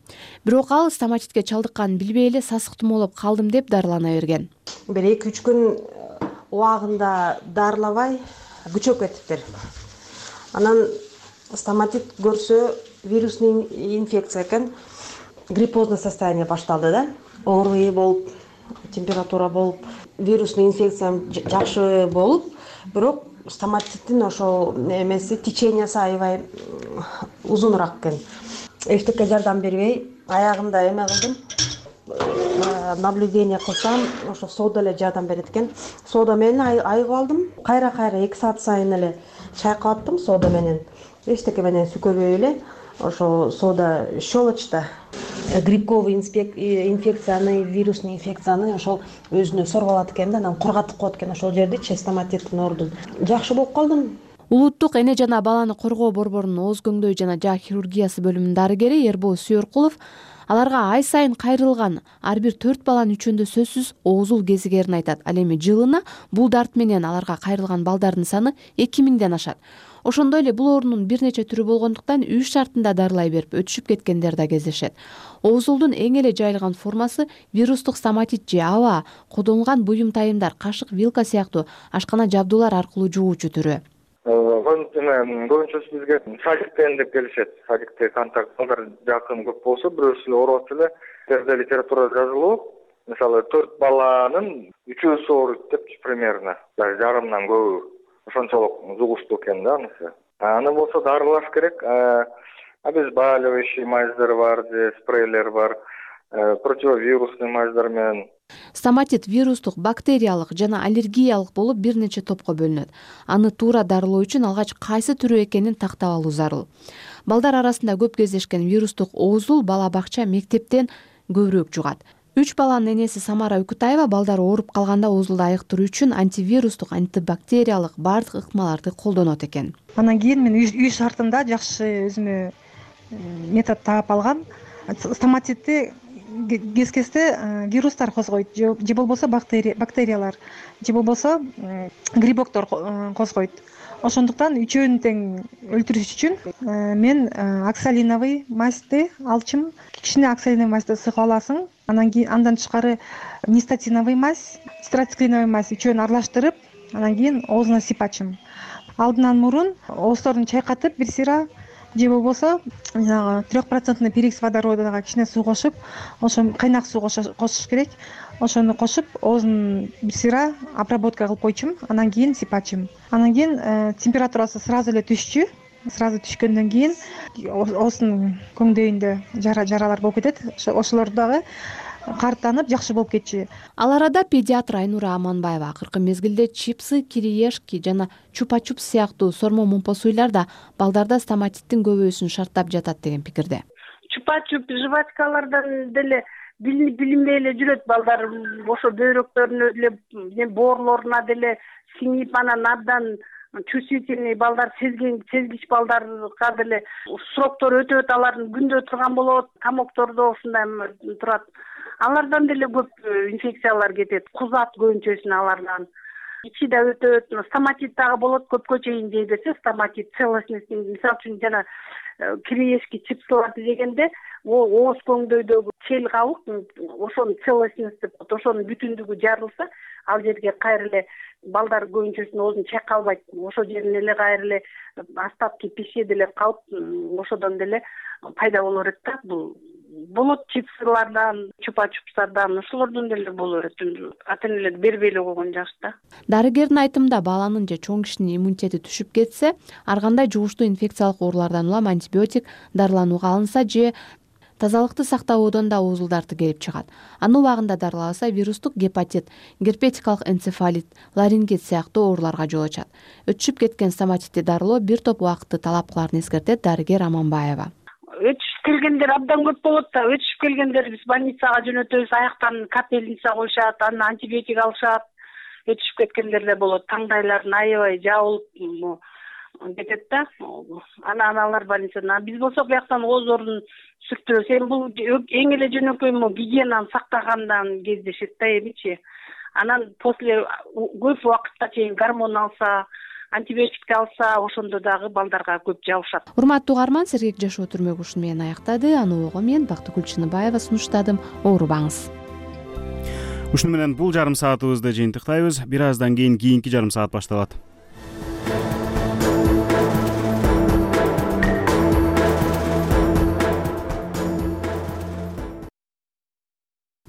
Бирок ал стоматитке чалдыкканын билбей эле сасык тумоолоп калдым деп дарылана берген. Бир эки үч күн убагында дарылабай күчөп кетиптир. Анан стоматит көрсө вирусный инфекция экен, гриппозный состояние башталды да. Ооруй болуп, температура болуп, вирусный инфекция жакшы болуп, бирок стоматиттин ошол эмеси течениясы аябай узунураак экен. Эчтеке жардам бербей, аягында эме кылдым. Наблюдение кылсам, ошо сода эле жардам берет экен. Сода менен айыгып алдым. Кайра-кайра эки саат сайын эле чайкап аттым сода менен. Эчтеке менен сүкөлбөй эле. Ошо сода щелочта грибковый инфекцияны, вирусный инфекцияны ошол өзүнө соруп алат экен да, анан кургатып коет экен ошол жерди, стоматиттин ордун. Жакшы болуп калдым. Улуттук эне жана баланы коргоо борборунун ооз көңдөй жана жаа хирургиясы бөлүмүнүн дарыгери Эрбол Сүйөркулов аларга ай сайын кайрылган ар бир төрт баланын үчөөндө сөзсүз оозул кезигерин айтат. Ал эми жылына бул дарт менен аларга кайрылган балдардын саны эки миңден ашат. Ошондой эле бул оорунун бир нече түрү болгондуктан үй шартында дарылай берип өтүшүп кеткендер да кездешет. Оозулдун эң эле жайылган формасы вирустук стоматит же аба, колдонулган буюм тайымдар, кашык, вилка сыяктуу ашкана жабдуулар аркылуу жугуучу түрү. Көбүнчөсү бизге садиктен деп келишет. Садикте контакттар жакын көп болсо, бирөөсү эле ооруп атса эле, терде литературада жазылуу, мисалы төрт баланын үчөөсү ооруйт деп примерно, жарымдан көбү. Ошончолук жугуштуу экен да анысы. Аны болсо дарылаш керек. Обезболивающий мазьдар бар, спрейлер бар, противовирусный мазьдар менен. Стоматит вирустук, бактериялык жана аллергиялык болуп бир нече топко бөлүнөт. Аны туура дарылоо үчүн алгач кайсы түрү экенин тактап алуу зарыл. Балдар арасында көп кездешкен вирустук оозул бала бакча, мектептен көбүрөөк жугат. Үч баланын энеси Самара Үкүтаева балдар ооруп калганда оозулду айыктыруу үчүн антивирустук, антибактериялык баардык ыкмаларды колдонот экен. Анан кийин мен үй шартында жакшы өзүмө метод таап алгам. Стоматитти кез-кезде вирустар козгойт, же болбосо бактериялар, же болбосо грибоктор козгойт. Ошондуктан үчөөнү тең өлтүрүш үчүн мен оксалиновый мазьды алчым. Кичине оксалиновый мазьды сыгып аласың. Анан кийин андан тышкары нистатиновый мазь, страцклиновый мазь үчөөнү аралаштырып, анан кийин оозуна сыйпачым. Алдынан мурун оозторун чайкатып бир сыйра, же болбосо трех процентный перекись водородага кичине суу кошуп, ошо кайнак суу кошуш керек. Ошону кошуп, оозун бир сыйра обработка кылып койчум, анан кийин сыйпачым. Анан кийин температурасы сразу эле түшчү. Сразу түшкөндөн кийин оозунун көңдөйүндө жаралар болуп кетет. Ошолор дагы карттанып жакшы болуп кетчү. Ал арада педиатр Айнура Аманбаева акыркы мезгилде чипсы, кириешки жана чупа-чуп сыяктуу сормо мумпосуйлар да балдарда стоматиттин көбөйүүсүн шарттап жатат деген пикирде. Чупа-чуп жвачкалардан деле билинбей эле жүрөт балдар, ошо бөйрөктөрүнө деле, боорлоруна деле сиңип, анан абдан чувствительный балдар, сезген, сезгич балдарга деле сроктор өтөт, алардын күндө турган болот, камоктордо ушундай турат. Алардан деле көп инфекциялар кетет. Кузат көбүнчөсүн алардан. Ичи да өтөт, стоматит дагы болот, көпкө чейин жей берсе, стоматит целостность, мисалы үчүн жана кириешки чипсыларды жегенде, ооз көңдөйдөгү чел кабык, ошонун целостность деп, ошонун бүтүндүгү жарылса, ал жерге кайра эле балдар көбүнчөсүнүн оозун чайкалбайт. Ошол жерин эле кайра эле остатки пищи деле калып, ошодон деле пайда боло берет да. Бул болот чипсылардан, чупа-чупсардан, ошолордон деле боло берет. Ата-энелер бербей эле койгон жакшы да. Дарыгердин айтымында баланын же чоң кишинин иммунитети түшүп кетсе, ар кандай жугуштуу инфекциялык оорулардан улам антибиотик дарыланууга алынса же тазалыкты сактабоодон да оозулдарды келип чыгат. Аны убагында дарылабаса вирустук гепатит, герпетикалык энцефалит, ларингит сыяктуу ооруларга жол ачат. Өтүшүп кеткен стоматитти дарылоо бир топ убакытты талап кыларын эскертет дарыгер Аманбаева. Өтүшүп келгендер абдан көп болот да. Өтүшүп келгендер биз больницага жөнөтөбүз, аяктан капельница коюшат, анан антибиотик алышат. Өтүшүп кеткендер да болот. Таңдайларын аябай жабылып кетет да. Анан алар больницада. Биз болсок бияктан оозорун сүртөбүз. Эми бул эң эле жөнөкөй гигиенаны сактагандан кездешет да эмичи. Анан после көп убакытка чейин гормон алса, антибиотикти алса ошондо дагы балдарга көп жабышат. Урматтуу угарман, сергек жашоо түрмөгү ушуну менен аяктады. Аны ого мен Бактыгүл Чыныбаева сунуштадым. Оорубаңыз. Ушуну менен бул жарым саатыбызды жыйынтыктайбыз. Бир аздан кийин кийинки жарым саат башталат.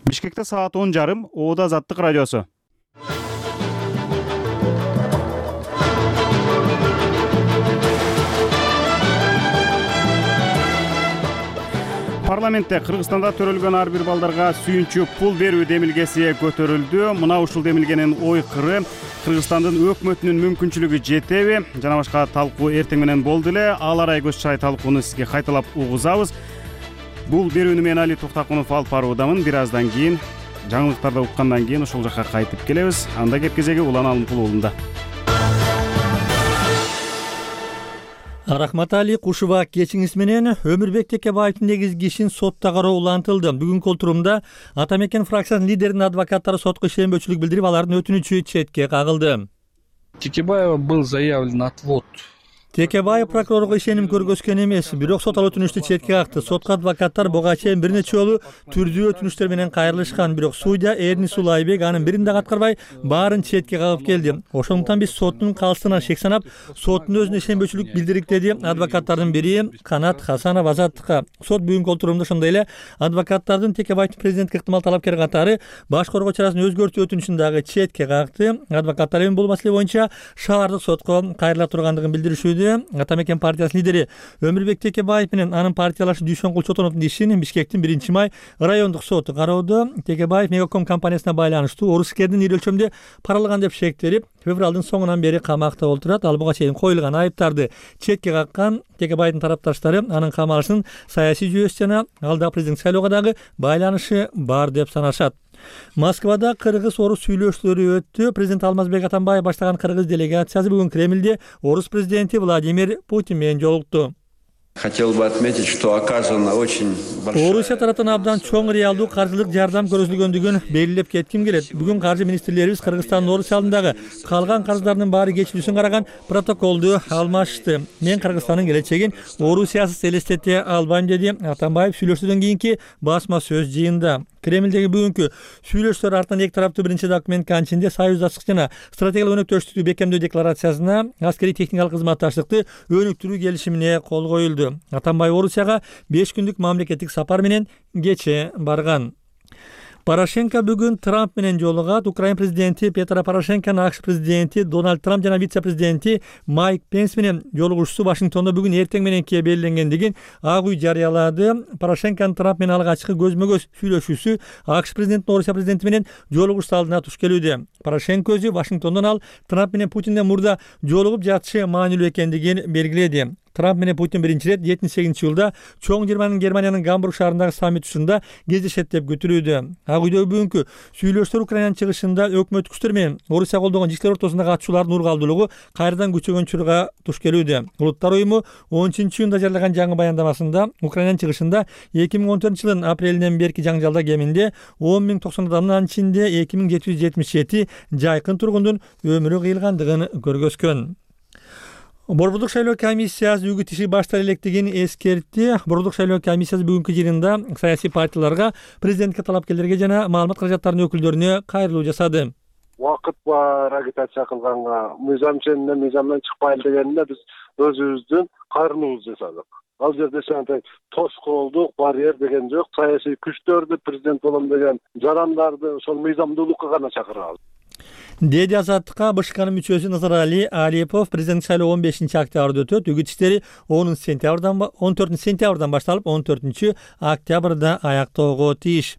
Бишкекте саат он жарым, Оода Азаттык радиосу. Парламентте Кыргызстанда төрөлгөн ар бир балдарга сүйүнчү пул берүү демилгеси көтөрүлдү. Мына ушул демилгенин ойкыры Кыргызстандын өкмөтүнүн мүмкүнчүлүгү жетеби жана башка талкуу эртең менен болду эле. Ал арай көз чырай талкууну сизге кайталап угузабыз. Бул берүүнү мен Али Токтакунов алып баруудамын. Бир аздан кийин жаңылыктарды уккандан кийин ошол жакка кайтып келебиз. Анда кеп кезеги Улан Алымкул уулунда. Рахмат Али, Кушуба кечиңиз менен Өмүрбек Текебаевдин негизги ишин сотто кароо улантылды. Бүгүнкү отурумда Ата Мекен фракциясынын лидеринин адвокаттары сотко ишенбөөчүлүк билдирип, алардын өтүнүчү четке кагылды. Текебаева был заявлен отвод. Текебаев прокурорго ишеним көргөзгөн эмес, бирок сот ал өтүнүштү четке какты. Сотко адвокаттар буга чейин бир нече жолу түрдүү өтүнүчтөр менен кайрылышкан, бирок судья Эрни Сулайбек анын бирин да аткарбай, баарын четке кагып келди. Ошондуктан биз соттун калыстыгынан шек санап, соттун өзүнө ишенбөөчүлүк билдирик, деди адвокаттардын бири Канат Хасанов Азаттыкка. Сот бүгүнкү отурумда ошондой эле адвокаттардын Текебаевдин президентке ыктымал талапкер катары баш коргоо чарасын өзгөртүү өтүнүшүн дагы четке какты. Адвокаттар эми бул маселе боюнча шаардык сотко кайрыла тургандыгын билдиришүүдө. Ата Мекен партиясынын лидери Өмүрбек Текебаев менен анын партиялашы Дүйшөнгүл Чотоновдун ишин Бишкектин биринчи май райондук соту кароодо. Текебаев Мегаком компаниясына байланыштуу орускердин ири өлчөмдө паралаган деп шектелип, февралдын соңунан бери камакта отурат. Ал буга чейин коюлган айыптарды четке каккан. Текебаевдин тарапташтары анын камалышынын саясий жүйөсү жана алдағы президент шайлоого дагы байланышы бар деп санашат. Москвада кыргыз-орус сүйлөшүүлөрү өттү. Президент Алмазбек Атамбаев баштаган кыргыз делегациясы бүгүн Кремльде орус президенти Владимир Путин менен жолукту. Хотел бы отметить, что оказана очень большая... Орусия тарапынан абдан чоң реалдуу каржылык жардам көрсөтүлгөндүгүн белгилеп кетким келет. Бүгүн каржы министрлерибиз Кыргызстандын Орусия алдындагы калган карыздардын баары кечилүүсүн караган протоколду алмашты. Мен Кыргызстандын келечегин Орусиясыз элестете албайм, деди Атамбаев сүйлөшүүдөн кийинки басма сөз жыйында. Кремльдеги бүгүнкү сүйлөшүүлөр артынан эки тараптуу биринчи документ канчинде союздаштык жана стратегиялык өнөктөштүктү бекемдөө декларациясына аскерий техникалык кызматташтыкты өнүктүрүү келишимине кол коюлду. Атамбаев Орусияга беш күндүк мамлекеттик сапар менен кече барган. Порошенко бүгүн Трамп менен жолугат. Украина президенти Петро Порошенконун АКШ президенти Дональд Трамп жана вице-президенти Майк Пенс менен жолугушуусу Вашингтондо бүгүн эртең мененке белгиленгендигин Ак үй жарыялады. Порошенконун Трамп менен алгачкы көзмө-көз сүйлөшүүсү АКШ президентинин Орусия президенти менен жолугушуусу алдына туш келүүдө. Порошенко өзү Вашингтондон ал Трамп менен Путинден мурда жолугуп жатышы маанилүү экендигин белгиледи. Трамп менен Путин биринчи ирет жетимиш сегизинчи жылда чоң жыйырманын Германиянын Гамбург шаарындагы саммит учурунда кездешет деп күтүлүүдө. Ак үйдөгү бүгүнкү сүйлөшүүлөр Украинанын чыгышында өкмөт күчтөр менен Орусия колдогон жиштер ортосундагы атышуулардын ургалдуулугу кайрадан күчөгөн учурга туш келүүдө. Улуттар уюму он үчүнчү июнда жарыяган жаңы баяндамасында Украинанын чыгышында эки миң он төртүнчү жылдын апрелинен берки жаңжалда кеминде он миң токсон адамдын, анын ичинде эки миң жети жүз жетимиш жети жайкын тургундун өмүрү кыйылгандыгын көргөзгөн. Борбордук шайлоо комиссиясы үгүт иши баштала электигин эскертти. Борбордук шайлоо комиссиясы бүгүнкү жыйынында саясий партияларга, президентке талапкерлерге жана маалымат каражаттарынын өкүлдөрүнө кайрылуу жасады. Убакыт бар агитация кылганга, мыйзам ченинен мыйзамдан чыкпайлы дегенде биз өзүбүздүн кайрылуубузду жасадык. Ал жерде сенде тоскоолдук, барьер деген жок. Саясий күчтөрдү, президент болом деген жарандарды ошол мыйзамдуулукка гана чакырабыз. Деди Азаттыкка БШКнын мүчөсү Назарали Алипов. Президент шайлоо он бешинчи октябрда өтөт. Үгүт иштери он төртүнчү сентябрдан башталып он төртүнчү октябрда аяктоого тийиш.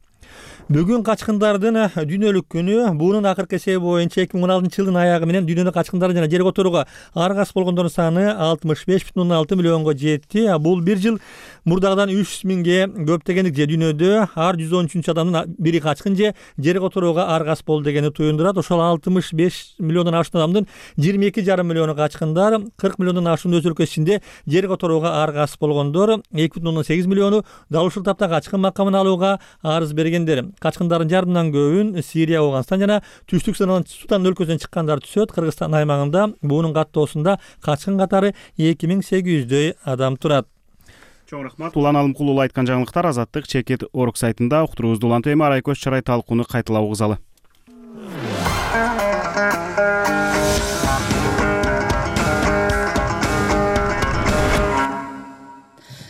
Бүгүн качкындардын дүйнөлүк күнү. Бунун акыркы эсеби боюнча эки миң он алтынчы жылдын аягы менен дүйнөдө качкындар жана жер которууга аргасыз болгондордун саны алтымыш беш бүтүн ондон алты миллионго жетти. Бул бир жыл мурдагыдан үч жүз миңге көп дегендик. Же дүйнөдө ар жүз он үчүнчү адамдын бири качкын же жер которууга аргасыз болду дегени туюндурат. Ошол алтымыш беш миллиондон ашуун адамдын жыйырма эки жарым миллиону качкындар, кырк миллиондон ашуун өз өлкөсү ичинде жер которууга аргасыз болгондор, эки бүтүн ондон сегиз миллиону дал ушул тапта качкын макамын алууга арыз берген. дегендер качкындардын жарымынан көбүн Сирия, Ауганстан жана Түштүк Судан өлкөсүнөн чыккандар түшөт. Кыргызстан аймагында буунун каттоосунда качкын катары эки миң сегиз жүздөй адам турат. Чоң рахмат. Улан Алымкулуу айткан жаңылыктар Азаттык Чекит Орг сайтында уктуруубузду улантып эми Арайкөз Чарай талкууну кайталап угузалы.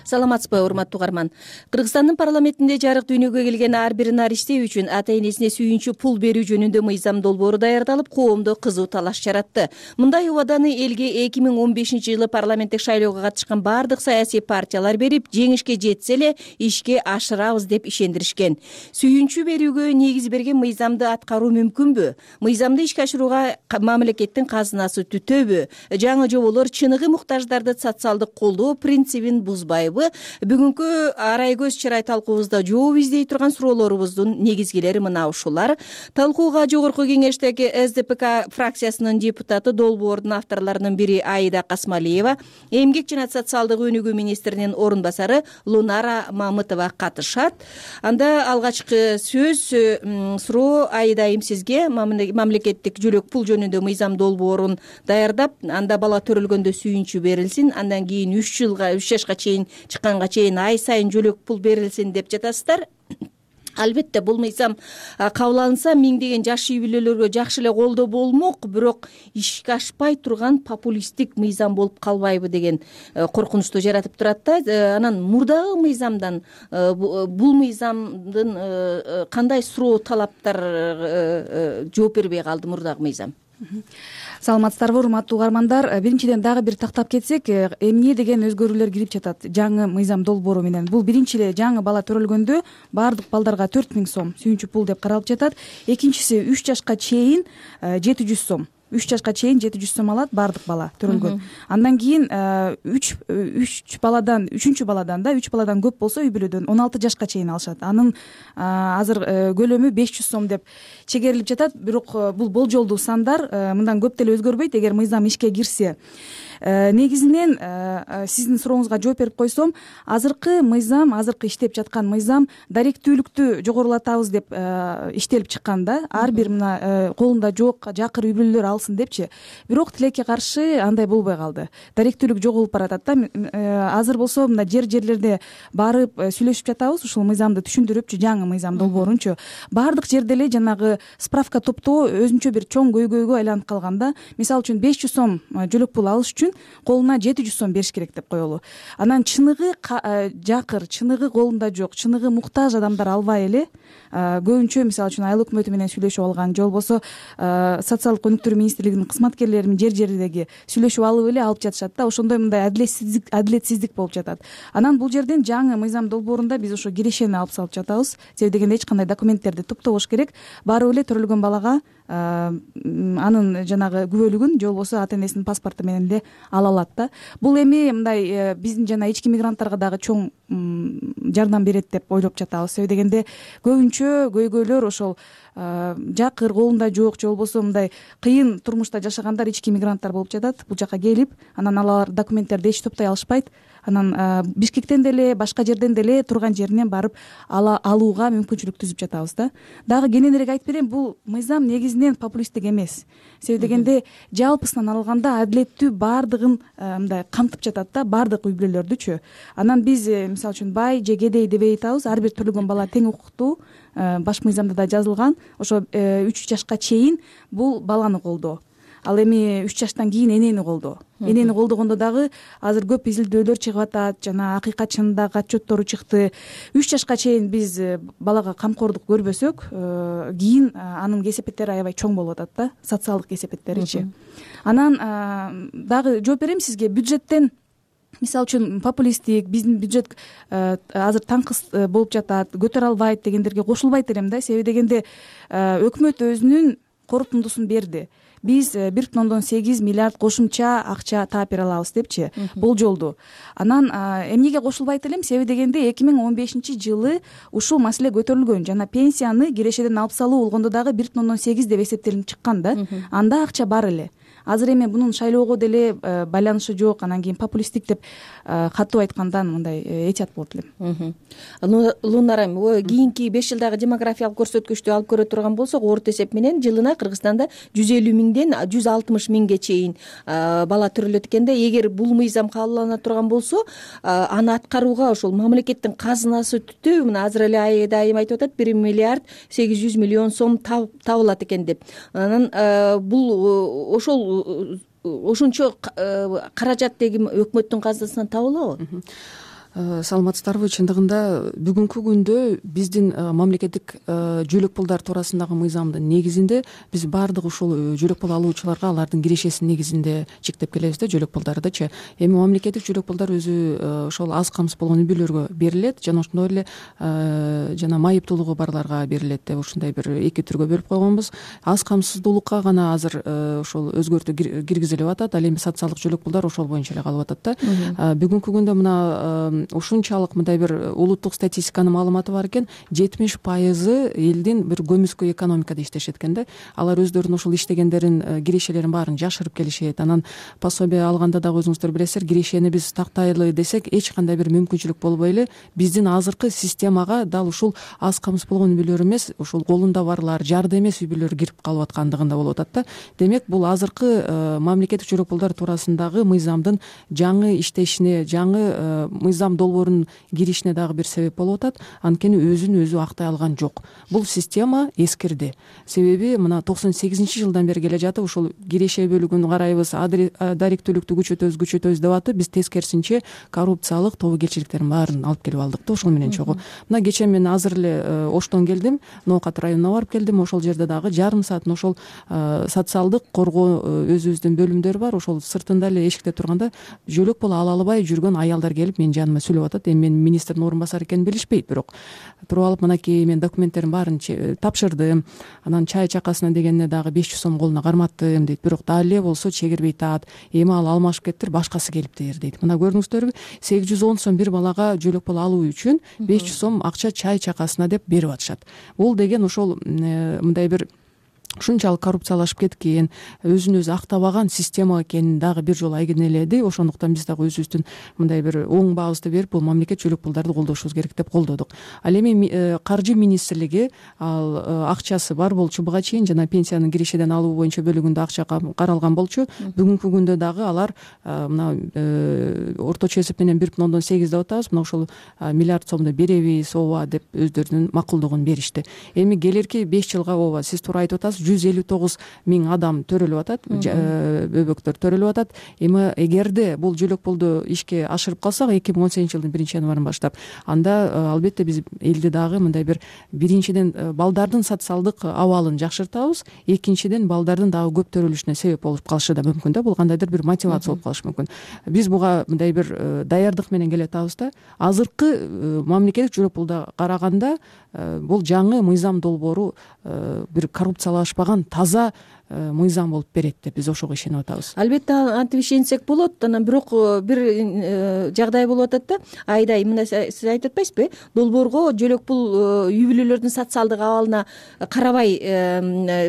Саламатсызбы, урматтуу угарман. Кыргызстандын парламентинде жарык дүйнөгө келген ар бир нариште үчүн ата-энесине сүйүнчү пул берүү жөнүндө мыйзам долбоору даярдалып, коомдо кызуу талаш жаратты. Мындай убаданы элге эки миң он бешинчи жылы парламенттик шайлоого катышкан бардык саясий партиялар берип, жеңишке жетсе эле ишке ашырабыз деп ишендиришкен. Сүйүнчү берүүгө негиз берген мыйзамды аткаруу мүмкүнбү? Мыйзамды ишке ашырууга мамлекеттин казынасы түтөбү? Жаңы жоболор чыныгы муктаждарды социалдык колдоо принцибин бузбайбы? Бүгүнкү Арайкөз Чарай талкуубузда жооп издей турган суроолорубуздун негизгилери мына ушулар. Талкууга Жогорку Кеңештеги эс дэ пэ ка фракциясынын депутаты, долбоордун авторлорунун бири Аида Касмалиева, эмгек жана социалдык өнүгүү министринин орун басары Лунара Мамытова катышат. Анда алгачкы сөз суроо Аида айым сизге. Мамлекеттик жөлөк пул жөнүндө мыйзам долбоорун даярдап, анда бала төрөлгөндө сүйүнчү берилсин, андан кийин үч жылга үч жашка чейин чыкканга чейин ай сайын жөлөк пул берилсин деп жатасыздар. Албетте бул мыйзам кабыл алынса миңдеген жаш үй бүлөлөргө жакшы эле колдоо болмок, бирок ишке ашпай турган популисттик мыйзам болуп калбайбы деген коркунучту жаратып турат да. Анан мурдагы мыйзамдан бул мыйзамдын кандай суроо талаптар жооп бербей калды мурдагы мыйзам? Саламатсыздарбы, урматтуу угармандар. Биринчиден дагы бир тактап кетсек, эмне деген өзгөрүүлөр кирип жатат жаңы мыйзам долбоору менен. Бул биринчи эле жаңы бала төрөлгөндө баардык балдарга төрт миң сом сүйүнчү пул деп каралып жатат. Экинчиси үч жашка чейин жети жүз сом. үч жашка чейин жети жүз сом алат баардык бала төрөлгөн. Андан кийин үч үч баладан үчүнчү баладан да үч баладан көп болсо үй бүлөдөн он алты жашка чейин алышат. Анын азыр көлөмү беш жүз сом деп чегерилип жатат. Бирок бул болжолдуу сандар, мындан көп деле өзгөрбөйт эгер мыйзам ишке кирсе. Негизинен сиздин сурооңузга жооп берип койсом, азыркы мыйзам, азыркы иштеп жаткан мыйзам даректүүлүктү жогорулатабыз деп иштелип чыккан да. Ар бир мына колунда жок жакыр үй бүлөлөр алсын депчи. Бирок тилекке каршы андай болбой калды. Даректүүлүк жоголуп баратат да. Азыр болсо мына жер-жерлерде барып сүйлөшүп жатабыз, ушул мыйзамды түшүндүрүпчү, жаңы мыйзам долбоорунчу. Баардык жерде эле жанагы справка топтоо өзүнчө бир чоң көйгөйгө айланып калган да. Мисалы үчүн беш жүз сом жөлөк пул алыш үчүн колуна жети жүз сом бериш керек деп коелу. Анан чыныгы жакыр, чыныгы колунда жок, чыныгы муктаж адамдар албай эле көбүнчө мисалы үчүн айыл өкмөтү менен сүйлөшүп алган, же болбосо социалдык өнүктүрүү министрлигинин кызматкерлери жер жердеги сүйлөшүп алып эле алып жатышат да. Ошондой мындай адилетсиздик адилетсиздик болуп жатат. Анан бул жерден жаңы мыйзам долбоорунда биз ошо кирешени алып салып жатабыз. Себеби дегенде эч кандай документтерди топтобош керек. Барып эле төрөлгөн балага анын жанагы күбөлүгүн же болбосо ата энесинин паспорту менен эле ала алат да. Бул эми мындай биздин жана ички мигранттарга дагы чоң жардам берет деп ойлоп жатабыз. Себеби дегенде көбүнчө көйгөйлөр ошол жакыр, колунда жок, же болбосо мындай кыйын турмушта жашагандар ички мигранттар болуп жатат. Бул жака келип, анан алар документтерди эч топтой алышпайт. Анан Бишкектен деле, башка жерден деле турган жеринен барып алууга мүмкүнчүлүк түзүп жатабыз да. Дагы кененирээк айтып берем, бул мыйзам негизинен популисттик эмес. Себеби дегенде жалпысынан алганда адилеттүү баардыгын мындай камтып жатат да, баардык үй бүлөлөрдүчү. Анан биз мисалы үчүн бай же кедей дебей айтабыз, ар бир төрөлгөн бала тең укуктуу. Баш мыйзамда да жазылган. Ошо үч жашка чейин бул баланы колдоо. Ал эми үч жаштан кийин энени колдоо. Энени колдогондо дагы азыр көп изилдөөлөр чыгып атат, жана акыйкат чынындагы отчеттору чыкты. үч жашка чейин биз балага камкордук көрбөсөк, кийин анын кесепеттери аябай чоң болуп атат да, социалдык кесепеттеричи. Анан дагы жооп берем сизге. Бюджеттен мисалы үчүн популисттик, биздин бюджет азыр таңкыс болуп жатат, көтөрө албайт дегендерге кошулбайт элем да. Себеби дегенде өкмөт өзүнүн корутундусун берди. Биз бир бүтүн ондон сегиз миллиард кошумча акча таап бере алабыз депчи, болжолду. Анан эмнеге кошулбайт элем? Себеби дегенде эки миң он бешинчи жылы ушул маселе көтөрүлгөн, жана пенсияны кирешеден алып салуу болгондо дагы бир бүтүн ондон сегиз деп эсептелип чыккан да. Анда акча бар эле. азыр эми мунун шайлоого деле байланышы жок, анан кийин популисттик деп катуу айткандан мындай этият болот элем. Лунар айым, кийинки беш жылдагы демографиялык көрсөткүчтү алып көрө турган болсок, орто эсеп менен жылына Кыргызстанда жүз элүү миңден жүз алтымыш миңге чейин бала төрөлөт экен да. Эгер бул мыйзам кабылдана турган болсо, аны аткарууга ошол мамлекеттин казынасы түтүү, мына азыр эле айда айым айтып атат, бир миллиард сегиз жүз миллион сом табылат экен деп. Анан бул ошол ошончо каражат деги өкмөттүн казынасынан табылабы? Саламатсыздарбы? Чындыгында бүгүнкү күндө биздин мамлекеттик жөлөк пулдар туурасындагы мыйзамдын негизинде биз баардык ушул жөлөк пул алуучуларга алардын кирешесинин негизинде чектеп келебиз да, жөлөк пулдардычы. Эми мамлекеттик жөлөк пулдар өзү ошол аз камсыз болгон үй бүлөлөргө берилет, жана ошондой эле жана майыптуулугу барларга берилет деп ушундай бир эки түргө бөлүп койгонбуз. Аз камсыздуулукка гана азыр ошол өзгөртүү киргизилип атат, ал эми социалдык жөлөк пулдар ошол боюнча эле калып атат да. Бүгүнкү күндө мына ушунчалык мындай бир улуттук статистиканын маалыматы бар экен, жетимиш пайызы элдин бир көмүскө экономикада иштешет экен да. Алар өздөрүнүн ушул иштегендерин, кирешелерин баарын жашырып келишет. Анан пособие алганда дагы өзүңүздөр билесиздер, кирешени биз тактайлы десек эч кандай бир мүмкүнчүлүк болбой эле биздин азыркы системага дал ушул аз камсыз болгон үй бүлөлөр эмес, ушул колунда барлар, жарды эмес үй бүлөлөр кирип калып аткандыгында болуп атат да. Демек бул азыркы мамлекеттик жөлөк пулдар туурасындагы мыйзамдын жаңы иштешине, жаңы мыйзам долбоорунун киришине дагы бир себеп болуп атат. Анткени өзүн өзү актай алган жок. Бул система эскирди. Себеби мына токсон сегизинчи жылдан бери келе жатып, ушул киреше бөлүгүн карайбыз, даректүүлүктү күчөтөбүз, күчөтөбүз деп атып, биз тескерисинче коррупциялык тобокелчиликтердин баарын алып келип алдык да ошол менен чогуу. Мына кечээ мен азыр эле Оштон келдим, Ноокат районуна барып келдим. Ошол жерде дагы жарым саатын ошол социалдык коргоо өзүбүздүн бөлүмдөр бар. Ошол сыртында эле эшикте турганда жөлөк пул ала албай жүргөн аялдар келип менин жаныма сүйлөп атат. Эми мен министрдин орун басары экенин билишпейт, бирок туруп алып мынакей мен документтердин баарын тапшырдым. Анан чай чакасына дегенине дагы беш жүз сом колуна карматтым дейт. Бирок дагы эле болсо чегирбей тат. Эми ал алмашып кеттир, башкасы келиптир дейт. Мына көрдүңүздөрбү, сегиз жүз он сом бир балага жөлөк пул алуу үчүн беш жүз сом акча чай чакасына деп берип атышат. Бул деген ошол мындай бир ушунчалык коррупциялашып кеткен, өзүн өзү актабаган система экенин дагы бир жолу айгинеледи. Ошондуктан биз дагы өзүбүздүн мындай бир оң баабызды берип, бул мамлекет жөлөк пулдарды колдошубуз керек деп колдодук. Ал эми каржы министрлиги ал акчасы бар болчу буга чейин, жана пенсиянын кирешеден алуу боюнча бөлүгүндө акча каралган болчу. Бүгүнкү күндө дагы алар мына орточо эсеп менен бир бүтүн ондон сегиз деп атабыз. Мына ошол миллиард сомду беребиз, ооба деп өздөрүнүн макулдугун беришти. Эми келерки беш жылга ооба сиз туура айтып атасыз, жүз элүү тогуз миң адам төрөлүп атат, бөбөктөр төрөлүп атат. Эми эгерде бул жөлөк пулду ишке ашырып калсак, эки миң он сегизинчи жылдын биринчи январынан баштап, анда албетте биз элди дагы мындай бир биринчиден балдардын социалдык абалын жакшыртабыз, экинчиден балдардын дагы көп төрөлүшүнө себеп болуп калышы да мүмкүн да. Бул кандайдыр бир мотивация болуп калышы мүмкүн. Биз буга мындай бир даярдык менен келе атабыз да. Азыркы мамлекеттик жөлөк пулда караганда бул жаңы мыйзам долбоору бир коррупциялашпаган таза мыйзам болуп берет деп биз ошого ишенип атабыз. Албетте антип ишенсек болот. Анан бирок бир жагдай болуп атат да. Айдай мына сиз айтып атпайсызбы? Долбоорго жөлөк пул үй бүлөлөрдүн социалдык абалына карабай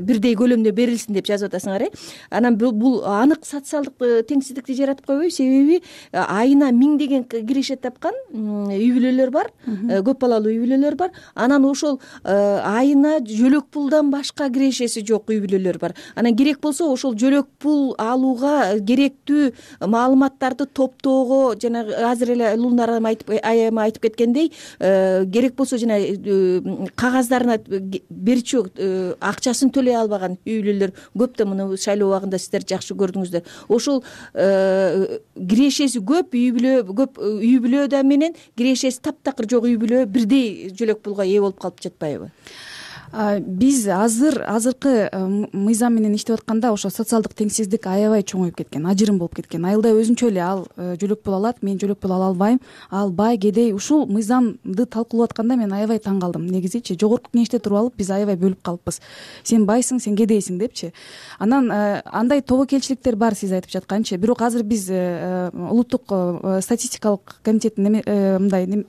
бирдей көлөмдө берилсин деп жазып атасыңар, э? Анан бул анык социалдык теңсиздикти жаратып койбойбу? Себеби айына миңдеген киреше тапкан үй бүлөлөр бар, көп балалуу үй бүлөлөр бар. Анан ошол айына жөлөк пулдан башка кирешеси жок үй бүлөлөр бар. Анан керек болсо ошол жөлөк пул алууга керектүү маалыматтарды топтоого, жана азыр эле Лунар айтып айым айтып кеткендей, керек болсо жана кагаздарына берчү акчасын төлөй албаган үй бүлөлөр көп да. Муну шайлоо убагында сиздер жакшы көрдүңүздөр. Ошол кирешеси көп үй бүлө көп үй бүлөдө менен кирешеси таптакыр жок үй бүлө бирдей жөлөк пулга ээ болуп калып жатпайбы? Биз азыр азыркы мыйзам менен иштеп атканда ошо социалдык теңсиздик аябай чоңоюп кеткен, ажырым болуп кеткен. Айылда өзүнчө эле ал жөлөк пул алат, мен жөлөк пул ала албайм, ал бай, кедей. Ушул мыйзамды талкуулап атканда мен аябай таң калдым. Негизичи жогорку кеңеште туруп алып биз аябай бөлүп калыппыз. Сен байсың, сен кедейсиң депчи. Анан андай тобокелчиликтер бар сиз айтып жатканчы. Бирок азыр биз улуттук статистикалык комитеттин мындай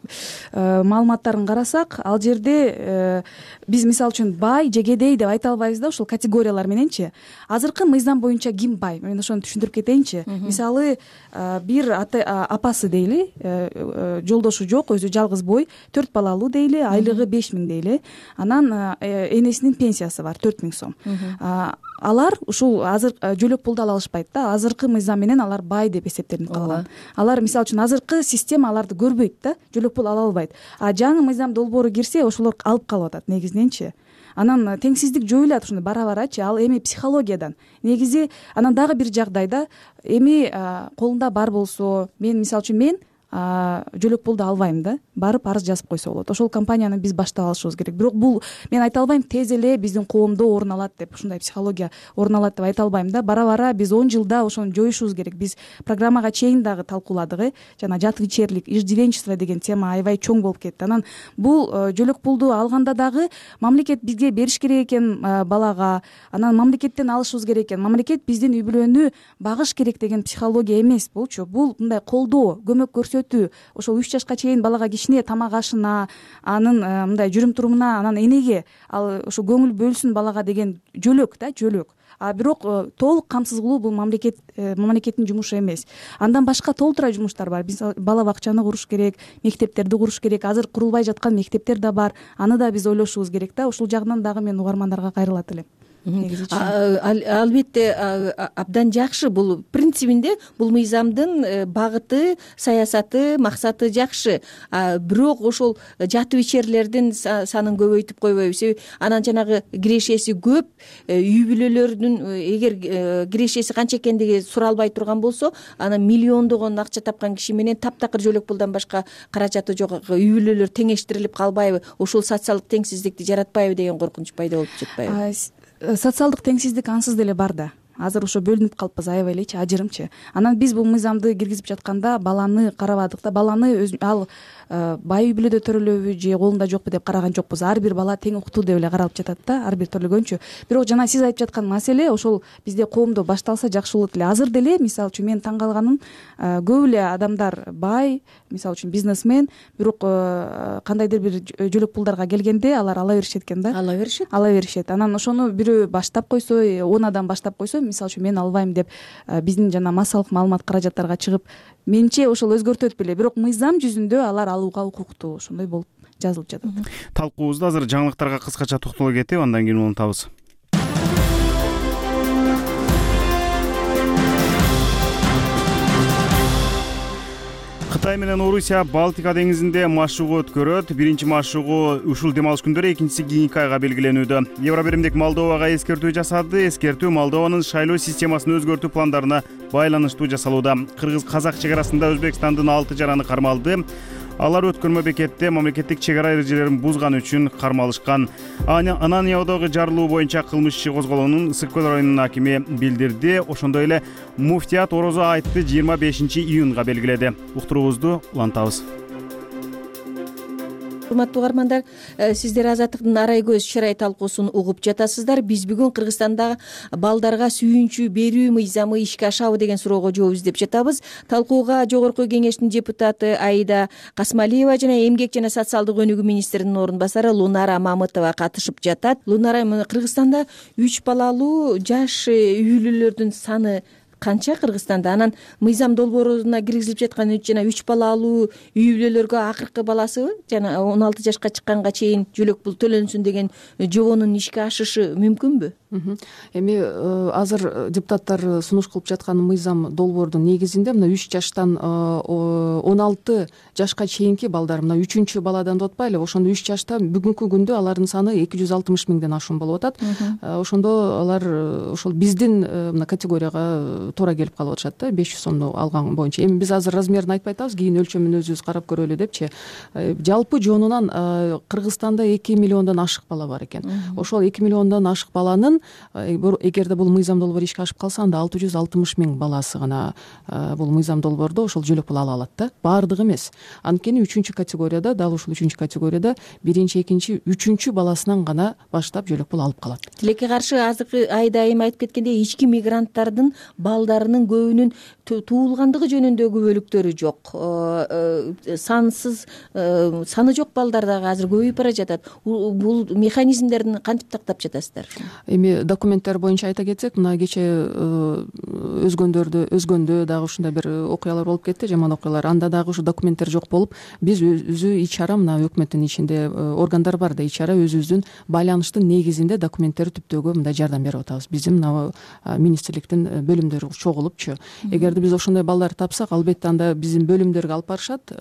маалыматтарын карасак, ал жерде биз мисалы мисалы үчүн бай же кедей деп айта албайбыз да ушул категориялар мененчи. Азыркы мыйзам боюнча ким бай? Мен ошону түшүндүрүп кетейинчи. Мисалы бир апасы дейли, жолдошу жок, өзү жалгыз бой, төрт балалуу дейли, айлыгы беш миң дейли. Анан энесинин пенсиясы бар төрт миң сом. Алар ушул азыр жөлөк пулду ала алышпайт да. Азыркы мыйзам менен алар бай деп эсептелип калган. Алар мисалы үчүн азыркы система аларды көрбөйт да, жөлөк пул ала албайт. А жаңы мыйзам долбоору кирсе, ошолор алып калып атат негизиненчи. Анан теңсиздик жоюлат ушундай бара-барачы. Ал эми психологиядан. Негизи анан дагы бир жагдайда эми колунда бар болсо, мен мисалы үчүн мен жөлөк пулду албайм да, барып арыз жазып койсо болот. Ошол компанияны биз баштап алышыбыз керек. Бирок бул мен айта албайм тез эле биздин коомдо орун алат деп, ушундай психология орун алат деп айта албайм да. Бара-бара биз он жылда ошону жоюшубуз керек. Биз программага чейин дагы талкууладык, э. Жана жатвичерлик, иждивенчество деген тема аябай чоң болуп кетти. Анан бул жөлөк пулду алганда дагы мамлекет бизге бериш керек экен балага. Анан мамлекеттен алышыбыз керек экен. Мамлекет биздин үй бүлөнү багыш керек деген психология эмес булчу. Бул мындай колдоо, көмөк көрсөтүү. Ошол үч жашка чейин балага кичине тамак ашына, анын мындай жүрүм турумуна, анан энеге ал ошо көңүл бөлсүн балага деген жөлөк да, жөлөк. А бирок толук камсыз кылуу бул мамлекет мамлекеттин жумушу эмес. Андан башка толтура жумуштар бар. Биз бала бакчаны куруш керек, мектептерди куруш керек. Азыр курулбай жаткан мектептер да бар. Аны да биз ойлошубуз керек да. Ушул жагынан дагы мен угармандарга кайрылат элем. Албетте абдан жакшы. Бул принцибинде бул мыйзамдын багыты, саясаты, максаты жакшы. Бирок ошол жатып ичерлердин санын көбөйтүп койбойбуз. Анан жанагы кирешеси көп үй бүлөлөрдүн эгер кирешеси канча экендиги суралбай турган болсо, анан миллиондогон акча тапкан киши менен таптакыр жөлөк пулдан башка каражаты жок үй бүлөлөр теңештирилип калбайбы? Ушул социалдык теңсиздикти жаратпайбы деген коркунуч пайда болуп жатпайбы? Социалдык теңсиздик ансыз деле бар да. Азыр ошо бөлүнүп калыппыз аябай элечи, ажырымчы. Анан биз бул мыйзамды киргизип жатканда баланы карабадык да. Баланы ал бай үй бүлөдө төрөлөбү же колунда жокпу деп караган жокпуз. Ар бир бала тең укуктуу деп эле каралып жатат да, ар бир төлөгөнчү. Бирок жана сиз айтып жаткан маселе ошол бизде коомдо башталса жакшы болот эле. Азыр деле мисалы үчүн мен таң калганым, көп эле адамдар бай, мисалы үчүн бизнесмен, бирок кандайдыр бир жөлөк пулдарга келгенде алар ала беришет экен да. Ала беришет. Ала беришет. Анан ошону бирөө баштап койсо, он адам баштап койсо, мисалы үчүн мен албайм деп биздин жана массалык маалымат каражаттарга чыгып, менимче ошол өзгөртөт беле. Бирок мыйзам жүзүндө алар алууга укуктуу, ошондой болуп жазылып жатат. Талкуубузду азыр жаңылыктарга кыскача токтоло кетип, андан кийин улантабыз. Кытай менен Орусия Балтика деңизинде машыгуу өткөрөт. Биринчи машыгуу ушул дем алыш күндөрү, экинчиси кийинки айга белгиленүүдө. Евробиримдик Молдовага эскертүү жасады. Эскертүү Молдованын шайлоо системасын өзгөртүү пландарына байланыштуу жасалууда. Кыргыз-казак чек арасында Өзбекстандын алты жараны кармалды. Алар өткөрмө бекетте мамлекеттик чек ара эрежелерин бузганы үчүн кармалышкан. Ананьяодогу жарылуу боюнча кылмыш иши козголгонун Ысык көл районунун акими билдирди. Ошондой эле муфтият орозо айтты жыйырма бешинчи июнга белгиледи. Уктуруубузду улантабыз. Урматтуу угармандар, сиздер Азаттыктын арай көз чырай талкуусун угуп жатасыздар. Биз бүгүн Кыргызстанда балдарга сүйүнчү берүү мыйзамы ишке ашабы деген суроого жооп издеп жатабыз. Талкууга Жогорку Кеңештин депутаты Аида Касмалиева жана Эмгек жана социалдык өнүгүү министринин орун басары Лунара Мамытова катышып жатат. Лунара, Кыргызстанда үч балалуу жаш үй бүлөлөрдүн саны канча Кыргызстанда? Анан мыйзам долбооруна киргизилип жаткан жана үч балалуу үй бүлөлөргө акыркы баласы жана он алты жашка чыкканга чейин жөлөк пул төлөнсүн деген жобонун ишке ашышы мүмкүнбү? Эми азыр депутаттар сунуш кылып жаткан мыйзам долбоордун негизинде мына үч жаштан он алты жашка чейинки балдар, мына үчүнчү баладан деп атпайлы, ошондо үч жашта бүгүнкү күндө алардын саны эки жүз алтымыш миңден ашуун болуп атат. Ошондо алар ошол биздин мына категорияга туура келип калып атышат да, беш жүз сомду алган боюнча. Эми биз азыр размерин айтпай атабыз, кийин өлчөмүн өзүбүз карап көрөлү депчи. Жалпы жонунан Кыргызстанда эки миллиондон ашык бала бар экен. Ошол эки миллиондон ашык баланын алынган. Эгерде бул мыйзам долбоор ишке ашып калса, анда алты жүз алтымыш миң баласы гана бул мыйзам долбоордо ошол жөлөк пул ала алат да, баардыгы эмес. Анткени үчүнчү категорияда, дал ушул үчүнчү категорияда биринчи, экинчи, үчүнчү баласынан гана баштап жөлөк пул алып калат. Тилекке каршы азыркы айда айым айтып кеткендей, ички мигранттардын балдарынын көбүнүн туулгандыгы жөнүндөгү бөлүктөрү жок, сансыз саны жок балдар дагы азыр көбөйүп бара жатат. Бул механизмдерин кантип тактап жатасыздар? Эми документтер боюнча айта кетсек, мына кече өзгөндөрдө өзгөндө дагы ушундай бир окуялар болуп кетти, жаман окуялар. Анда дагы ушу документтер жок болуп, биз өзү ич чара, мына өкмөттүн ичинде органдар бар да, ич чара өзүбүздүн байланыштын негизинде документтерди түптөөгө мындай жардам берип атабыз. Биздин мына министрликтин бөлүмдөрү чогулупчу. Эгерде биз ошондой балдар тапсак, албетте анда биздин бөлүмдөргө алып барышат,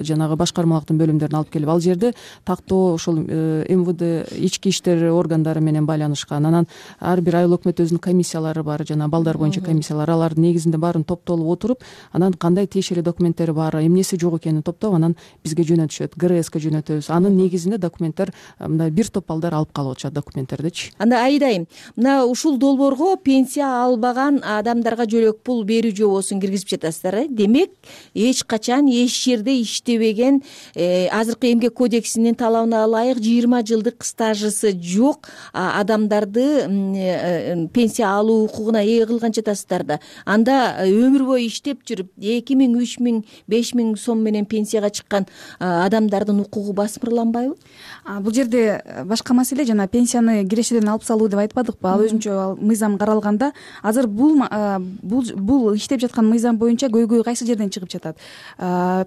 жанагы башкармалыктын бөлүмдөрүнө алып келип, ал жерде тактоо ошол эм вэ дэ, ички иштер органдары менен байланышкан. Анан ар бир айыл өкмөт өзүнүн комиссиялары бар, жана балдар боюнча комиссиялар, алардын негизинде баарын топтолуп отуруп, анан кандай тиешелүү документтери бар, эмнеси жок экенин топтоп, анан бизге жөнөтүшөт, гэ эр эске жөнөтөбүз. Анын негизинде документтер, мындай бир топ балдар алып калып атышат документтердичи. Анда айдайм, мына ушул долбоорго пенсия албаган адамдарга жөлөк пул берүү жобосун киргизип жатасыздар. Демек, эч качан эч жерде иштебеген, азыркы эмгек кодексинин талабына ылайык жыйырма жылдык стажысы жок адамдарды пенсия алуу укугуна ээ кылган жатасыздар да. Анда өмүр бою иштеп жүрүп эки миң, үч миң, беш миң сом менен пенсияга чыккан адамдардын укугу басмырланбайбы? Бул жерде башка маселе, жана пенсияны кирешеден алып салуу деп айтпадыкпы? Ал өзүнчө мыйзам каралганда, азыр бул бул иштеп жаткан мыйзам боюнча көйгөй кайсы жерден чыгып жатат?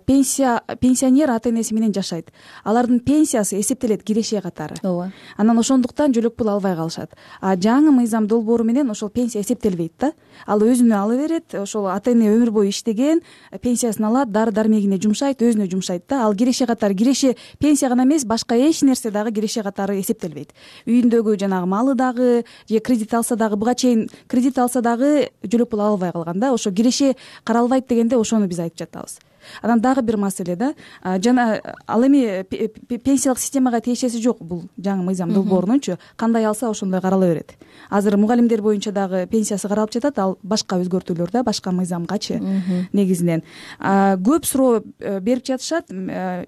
Пенсия пенсионер ата энеси менен жашайт. Алардын пенсиясы эсептелет киреше катары. Ооба. Анан ошондуктан жөлөк пул албай калышат. А жаңы мыйзам долбоору менен ошол пенсия эсептелбейт да. Ал өзүнө ала берет, ошол ата эне өмүр бою иштеген, пенсиясын алат, дары дармегине жумшайт, өзүнө жумшайт да. Ал киреше катары, киреше пенсия гана эмес, башка эч нерсе дагы киреше катары эсептелбейт. Үйүндөгү жанагы малы дагы, же кредит алса дагы, буга чейин кредит алса дагы жөлөк пул албай калган да. Ошо киреше каралбайт дегенде ошону биз айтып жатабыз. Анан дагы бир маселе да, жана ал эми пенсиялык системага тиешеси жок бул жаңы мыйзам долбоорунунчу, кандай алса ошондой карала берет. Азыр мугалимдер боюнча дагы пенсиясы каралып жатат, ал башка өзгөртүүлөр да, башка мыйзамгачы негизинен. Көп суроо берип жатышат,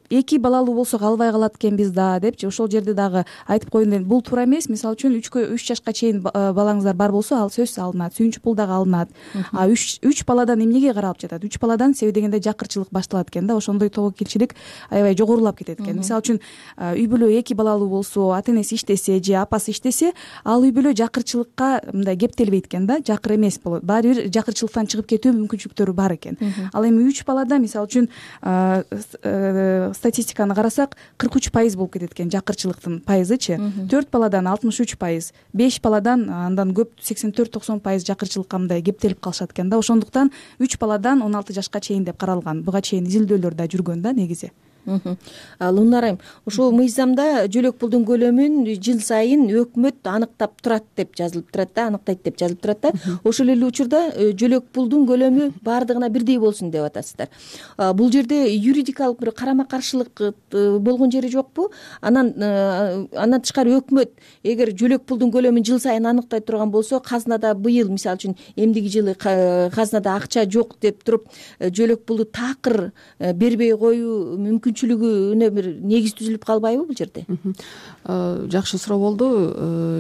эки балалуу болсок албай калат экенбиз да депчи. Ошол жерде дагы айтып коеюн дедим, бул туура эмес. Мисалы үчүн үч жашка чейин балаңыздар бар болсо, ал сөзсүз алынат, сүйүнчү пул дагы алынат. А үч баладан эмнеге каралып жатат? үч баладан себеби дегенде жакырчылык башталат экен да, ошондой тобокелчилик аябай жогорулап кетет экен. Мисалы үчүн үй бүлө эки балалуу болсо, ата энеси иштесе же апасы иштесе, ал үй бүлө жакырчылыкка мындай кептелбейт экен да, жакыр эмес болот. Баары бир жакырчылыктан чыгып кетүү мүмкүнчүлүктөрү бар экен. Ал эми үч балада мисалы үчүн статистиканы карасак, кырк үч пайыз болуп кетет экен жакырчылыктын пайызычы. төрт баладан алтымыш үч пайыз, беш баладан андан көп сексен төрт токсон пайыз жакырчылыкка мындай кептелип калышат экен да. Ошондуктан үч баладан он алты жашка чейин деп каралган. Буга чейин изилдөөлөр да жүргөн да негизи. Лунар айым, ушул мыйзамда жөлөк пулдун көлөмүн жыл сайын өкмөт аныктап турат деп жазылып турат да, аныктайт деп жазылып турат да. Ошол эле учурда жөлөк пулдун көлөмү баардыгына бирдей болсун деп атасыздар. Бул жерде юридикалык бир карама каршылык болгон жери жокпу? Анан андан тышкары өкмөт эгер жөлөк пулдун көлөмүн жыл сайын аныктай турган болсо, казнада быйыл мисалы үчүн эмдиги жылы казнада акча жок деп туруп жөлөк пулду такыр бербей коюу мүмкүнчүлүгүнө бир негиз түзүлүп калбайбы бул жерде? Жакшы суроо болду.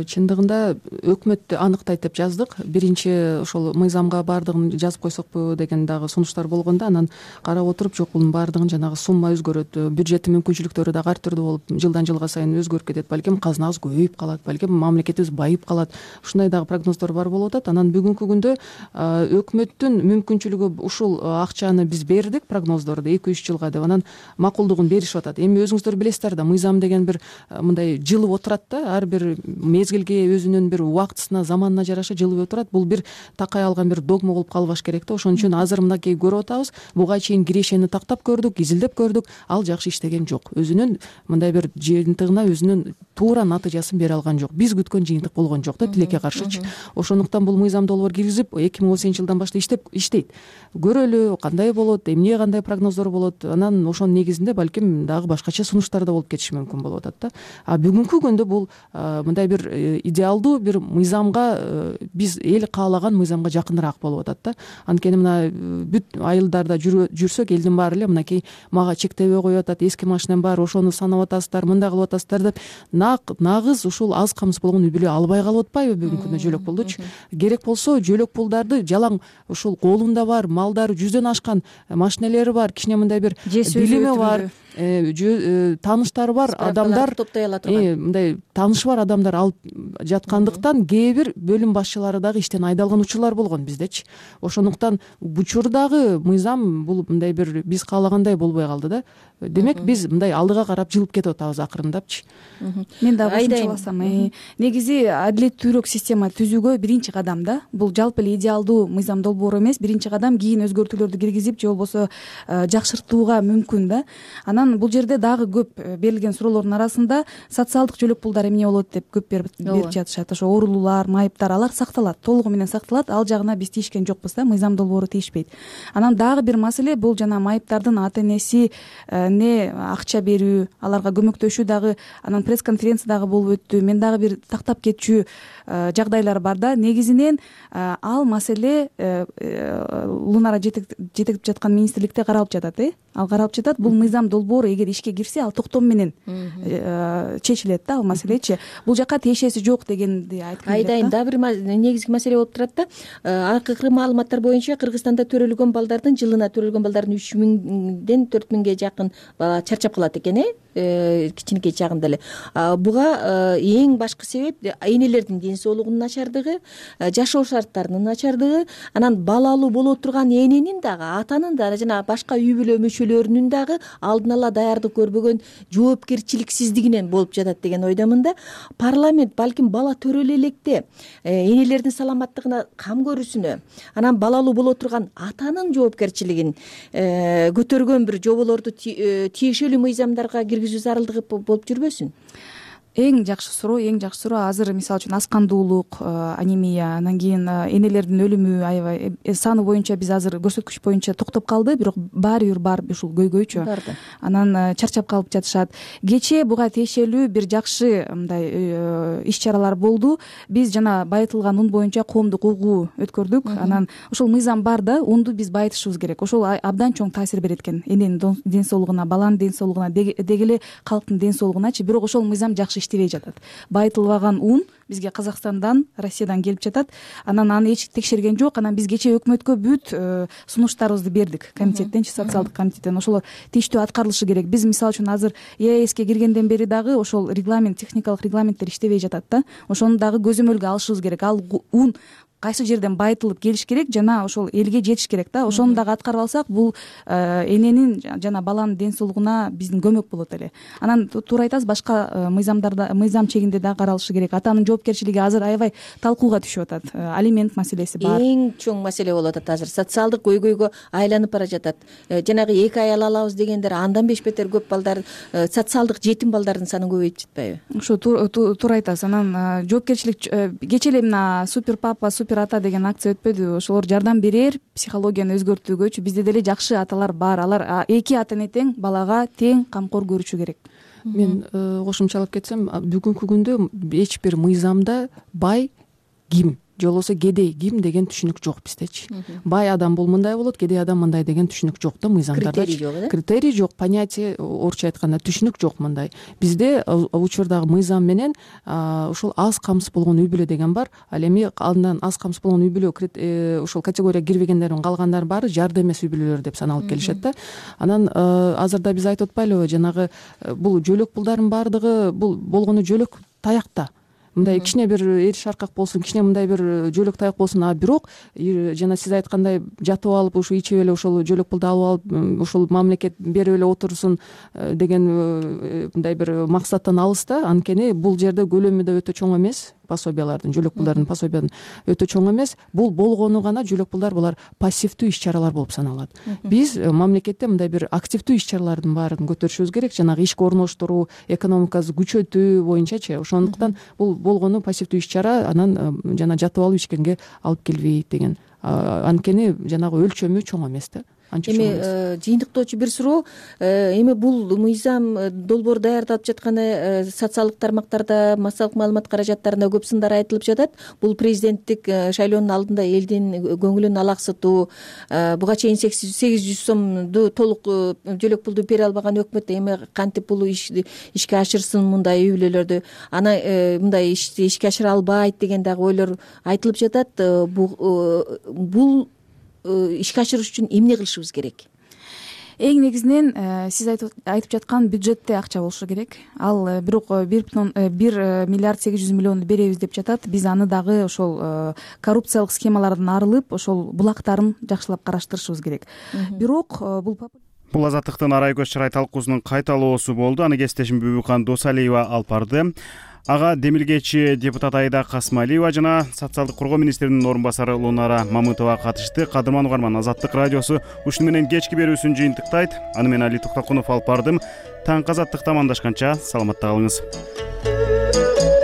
Чындыгында өкмөт аныктайт деп жаздык. Биринчи ошол мыйзамга баардыгын жазып койсокпу деген дагы сунуштар болгондо, анан карап отуруп, жок, бунун баардыгын жанагы сумма өзгөрөт, бюджеттин мүмкүнчүлүктөрү дагы ар түрдүү болуп, жылдан жылга сайын өзгөрүп кетет. Балким казнабыз көбөйүп калат, балким мамлекетибиз байып калат. Ушундай дагы прогноздор бар болуп атат. Анан бүгүнкү күндө өкмөттүн мүмкүнчүлүгү ушул акчаны биз бердик, прогноздорду эки үч жылга деп, анан макулдугун беришип атат. Эми өзүңүздөр билесиздер да, мыйзам деген бир мындай жылып отурат да, ар бир мезгилге өзүнүн бир убактысына, заманына жараша жылып отурат. Бул бир такай алган бир догма болуп калбаш керек да. Ошон үчүн азыр мынакей көрүп атабыз, буга чейин кирешени тактап көрдүк, изилдеп көрдүк, ал жакшы иштеген жок. Өзүнүн мындай бир жыйынтыгына өзүнүн туура натыйжасын бере алган жок. Биз күткөн жыйынтык болгон жок да, тилекке каршычы. Ошондуктан бул мыйзам долбоор киргизип эки миң он сегизинчи жылдан баштап иштеп иштейт. Көрөлү, кандай болот, эмне кандай прогноздор болот. Анан ошонун негизинде негизинде балким дагы башкача сунуштар да болуп кетиши мүмкүн болуп атат да. А бүгүнкү күндө бул мындай бир идеалдуу бир мыйзамга, биз эл каалаган мыйзамга жакыныраак болуп атат да. Анткени мына бүт айылдарда жүрсөк элдин баары эле мынакей мага чектебей коюп атат, эски машинам бар, ошону санап атасыздар, мындай кылып атасыздар деп нагыз ушул аз камсыз болгон үй бүлө албай калып атпайбы бүгүнкү күндө жөлөк пулдучу? Керек болсо жөлөк пулдарды жалаң ушул колунда бар, малдары жүздөн ашкан машинелери бар, кичине мындай бир билими бар, тааныштары бар адамдар, топтой ала турган мындай таанышы бар адамдар алып жаткандыктан кээ бир бөлүм башчылары дагы иштен айдалган учурлар болгон биздечи. Ошондуктан учурдагы мыйзам бул мындай бир биз каалагандай болбой калды да. Демек биз мындай алдыга карап жылып кетип атабыз акырындапчы. Мен дагы кошумчаласам, негизи адилеттүүрөөк система түзүүгө биринчи кадам да. Бул жалпы эле идеалдуу мыйзам долбоору эмес, биринчи кадам, кийин өзгөртүүлөрдү киргизип же болбосо жакшыртууга мүмкүн да. Анан бул жерде дагы көп берилген суроолордун арасында социалдык жөлөк пулдар эмне болот деп көп берип жатышат. Ошо оорулуулар, майыптар, алар сакталат, толугу менен сакталат. Ал жагына биз тийишкен жокпуз да, мыйзам долбоору тийишпейт. Анан дагы бир маселе бул жана майыптардын ата энеси не акча берүү, аларга көмөктөшүү дагы анан пресс-конференция дагы болуп өттү. Мен дагы бир тактап кетчү жагдайлар бар да. Негизинен ал маселе Лунара жетектеп жаткан министрликте каралып жатат, э? Ал каралып жатат. Бул мыйзам долбоору эгер ишке кирсе, ал токтом менен чечилет да, ал маселечи. Бул жака тиешеси жок дегенди айткым келет. Айдайын дагы бир негизги маселе болуп турат да. Акыркы маалыматтар боюнча Кыргызстанда төрөлгөн балдардын жылына төрөлгөн балдардын үч миңден төрт миңге жакын бала чарчап калат экен, э? Кичинекей чагында эле. Буга эң башкы себеп энелердин ден соолугунун начардыгы, жашоо шарттарынын начардыгы, анан балалуу боло турган эненин дагы, атанын да жана башка үй бүлө мүчөлөрүнүн дагы алдын ала даярдык көрбөгөн жоопкерчиликсиздигинен болуп жатат деген ойдомун да. Парламент балким бала төрөлө электе энелердин саламаттыгына кам көрүүсүнө, анан балалуу боло турган атанын жоопкерчилигин көтөргөн бир жоболорду тиешелүү мыйзамдарга киргизүү зарылдыгы болуп жүрбөсүн? Эң жакшы суроо, эң жакшы суроо азыр мисалы үчүн аскандуулук, анемия, анан кийин энелердин өлүмү аябай саны боюнча биз азыр көрсөткүч боюнча токтоп калды, бирок баары бир бар ушул көйгөйчү. Анан чарчап калып жатышат. Кечээ буга тиешелүү бир жакшы мындай иш чаралар болду. Биз жана байытылган ун боюнча коомдук угуу өткөрдүк. Анан ушул мыйзам бар да, унду биз байытышыбыз керек. Ошол абдан чоң таасир берет экен эненин ден соолугуна, баланын ден соолугуна, деги эле калктын ден соолугуначы. Бирок ошол мыйзам жакшы иштебей жатат. Байытылбаган ун бизге Казакстандан, Россиядан келип жатат. Анан аны эч текшерген жок. Анан биз кечээ өкмөткө бүт сунуштарыбызды бердик. Комитеттенчи, социалдык комитеттен ошолор тийиштүү аткарылышы керек. Биз мисалы үчүн азыр ЕАЭСке киргенден бери дагы ошол регламент, техникалык регламенттер иштебей жатат да. Ошону дагы көзөмөлгө алышыбыз керек. Ал ун кайсы жерден байытылып келиш керек жана ошол элге жетиш керек да. Ошону дагы аткарып алсак, бул эненин жана баланын ден соолугуна биздин көмөк болот эле. Анан туура айтасыз, башка мыйзамдарда, мыйзам чегинде дагы каралышы керек. Атанын жоопкерчилиги азыр аябай талкууга түшүп атат. Алимент маселеси бар. Эң чоң маселе болуп атат азыр. Социалдык көйгөйгө айланып бара жатат. Жанагы эки аял алабыз дегендер андан беш бетер көп балдар, социалдык жетим балдардын санын көбөйтүп жатпайбы? Ошо туура айтасыз. Анан жоопкерчилик кечээ эле мына супер папа, супер ата деген акция өтпөдү? Ошолор жардам берер психологияны өзгөртүүгөчү. Бизде деле жакшы аталар бар. Алар эки ата эне тең балага тең камкор көрүшү керек. Мен кошумчалап кетсем, бүгүнкү күндө эч бир мыйзамда бай ким же болбосо кедей ким деген түшүнүк жок биздечи. Бай адам бул мындай болот, кедей адам мындай деген түшүнүк жок да мыйзамдарда. Критерий жок, э? Критерий жок, понятие, орусча айтканда түшүнүк жок мындай. Бизде учурдагы мыйзам менен ушул аз камсыз болгон үй бүлө деген бар. Ал эми андан аз камсыз болгон үй бүлө ушул категорияга кирбегендердин калгандар баары жарды эмес үй бүлөлөр деп саналып келишет да. Анан азырда биз айтып атпайлыбы, жанагы бул жөлөк пулдардын баардыгы бул болгону жөлөк таякта. Мындай кичине бир эр шаркак болсун, кичине мындай бир жөлөк таяк болсун, а бирок жана сиз айткандай жатып алып ушу ичип эле ошол жөлөк пулду алып алып ушул мамлекет берип эле отурсун деген мындай бир максаттан алыс да. Анткени бул жерде көлөмү да өтө чоң эмес, пособиялардын, жөлөк пулдардын пособиянын өтө чоң эмес. Бул болгону гана жөлөк пулдар, булар пассивдүү иш чаралар болуп саналат. Биз мамлекетте мындай бир активдүү иш чаралардын баарын көтөрүшүбүз керек, жанагы ишке орноштуруу, экономикабызды күчөтүү боюнчачы. Ошондуктан бул болгону пассивдүү иш чара, анан жана жатып алып ичкенге алып келбейт деген. Анткени жанагы өлчөмү чоң эмес да. анча эми жыйынтыктоочу бир суроо, эми бул мыйзам долбоор даярдалып жатканы социалдык тармактарда, массалык маалымат каражаттарында көп сындар айтылып жатат. Бул президенттик шайлоонун алдында элдин көңүлүн алаксытуу, буга чейин сегиз жүз сомду толук жөлөк пулду бере албаган өкмөт эми кантип бул ишти ишке ашырсын, мындай үй бүлөлөрдү ана мындай ишти ишке ашыра албайт деген дагы ойлор айтылып жатат. Бул ишке ашырыш үчүн эмне кылышыбыз керек? Эң негизинен сиз айтып жаткан бюджетте акча болушу керек. Ал бирок бир миллиард сегиз жүз миллионду беребиз деп жатат. Биз аны дагы ошол коррупциялык схемалардан арылып, ошол булактарын жакшылап караштырышыбыз керек. Бирок бул Бул Азаттыктын Арай көз чырай талкуусунун кайталоосу болду. Аны кесиптешим Бүбүкан Досалиева алып барды. Ага демилгечи депутат Айда Касмалиева жана социалдык коргоо министринин орун басары Лунара Мамытова катышты. Кадырман угарман, Азаттык радиосу ушуну менен кечки берүүсүн жыйынтыктайт. Аны мен Али Токтокунов алып бардым. Таңкы Азаттыкта амандашканча саламатта калыңыз.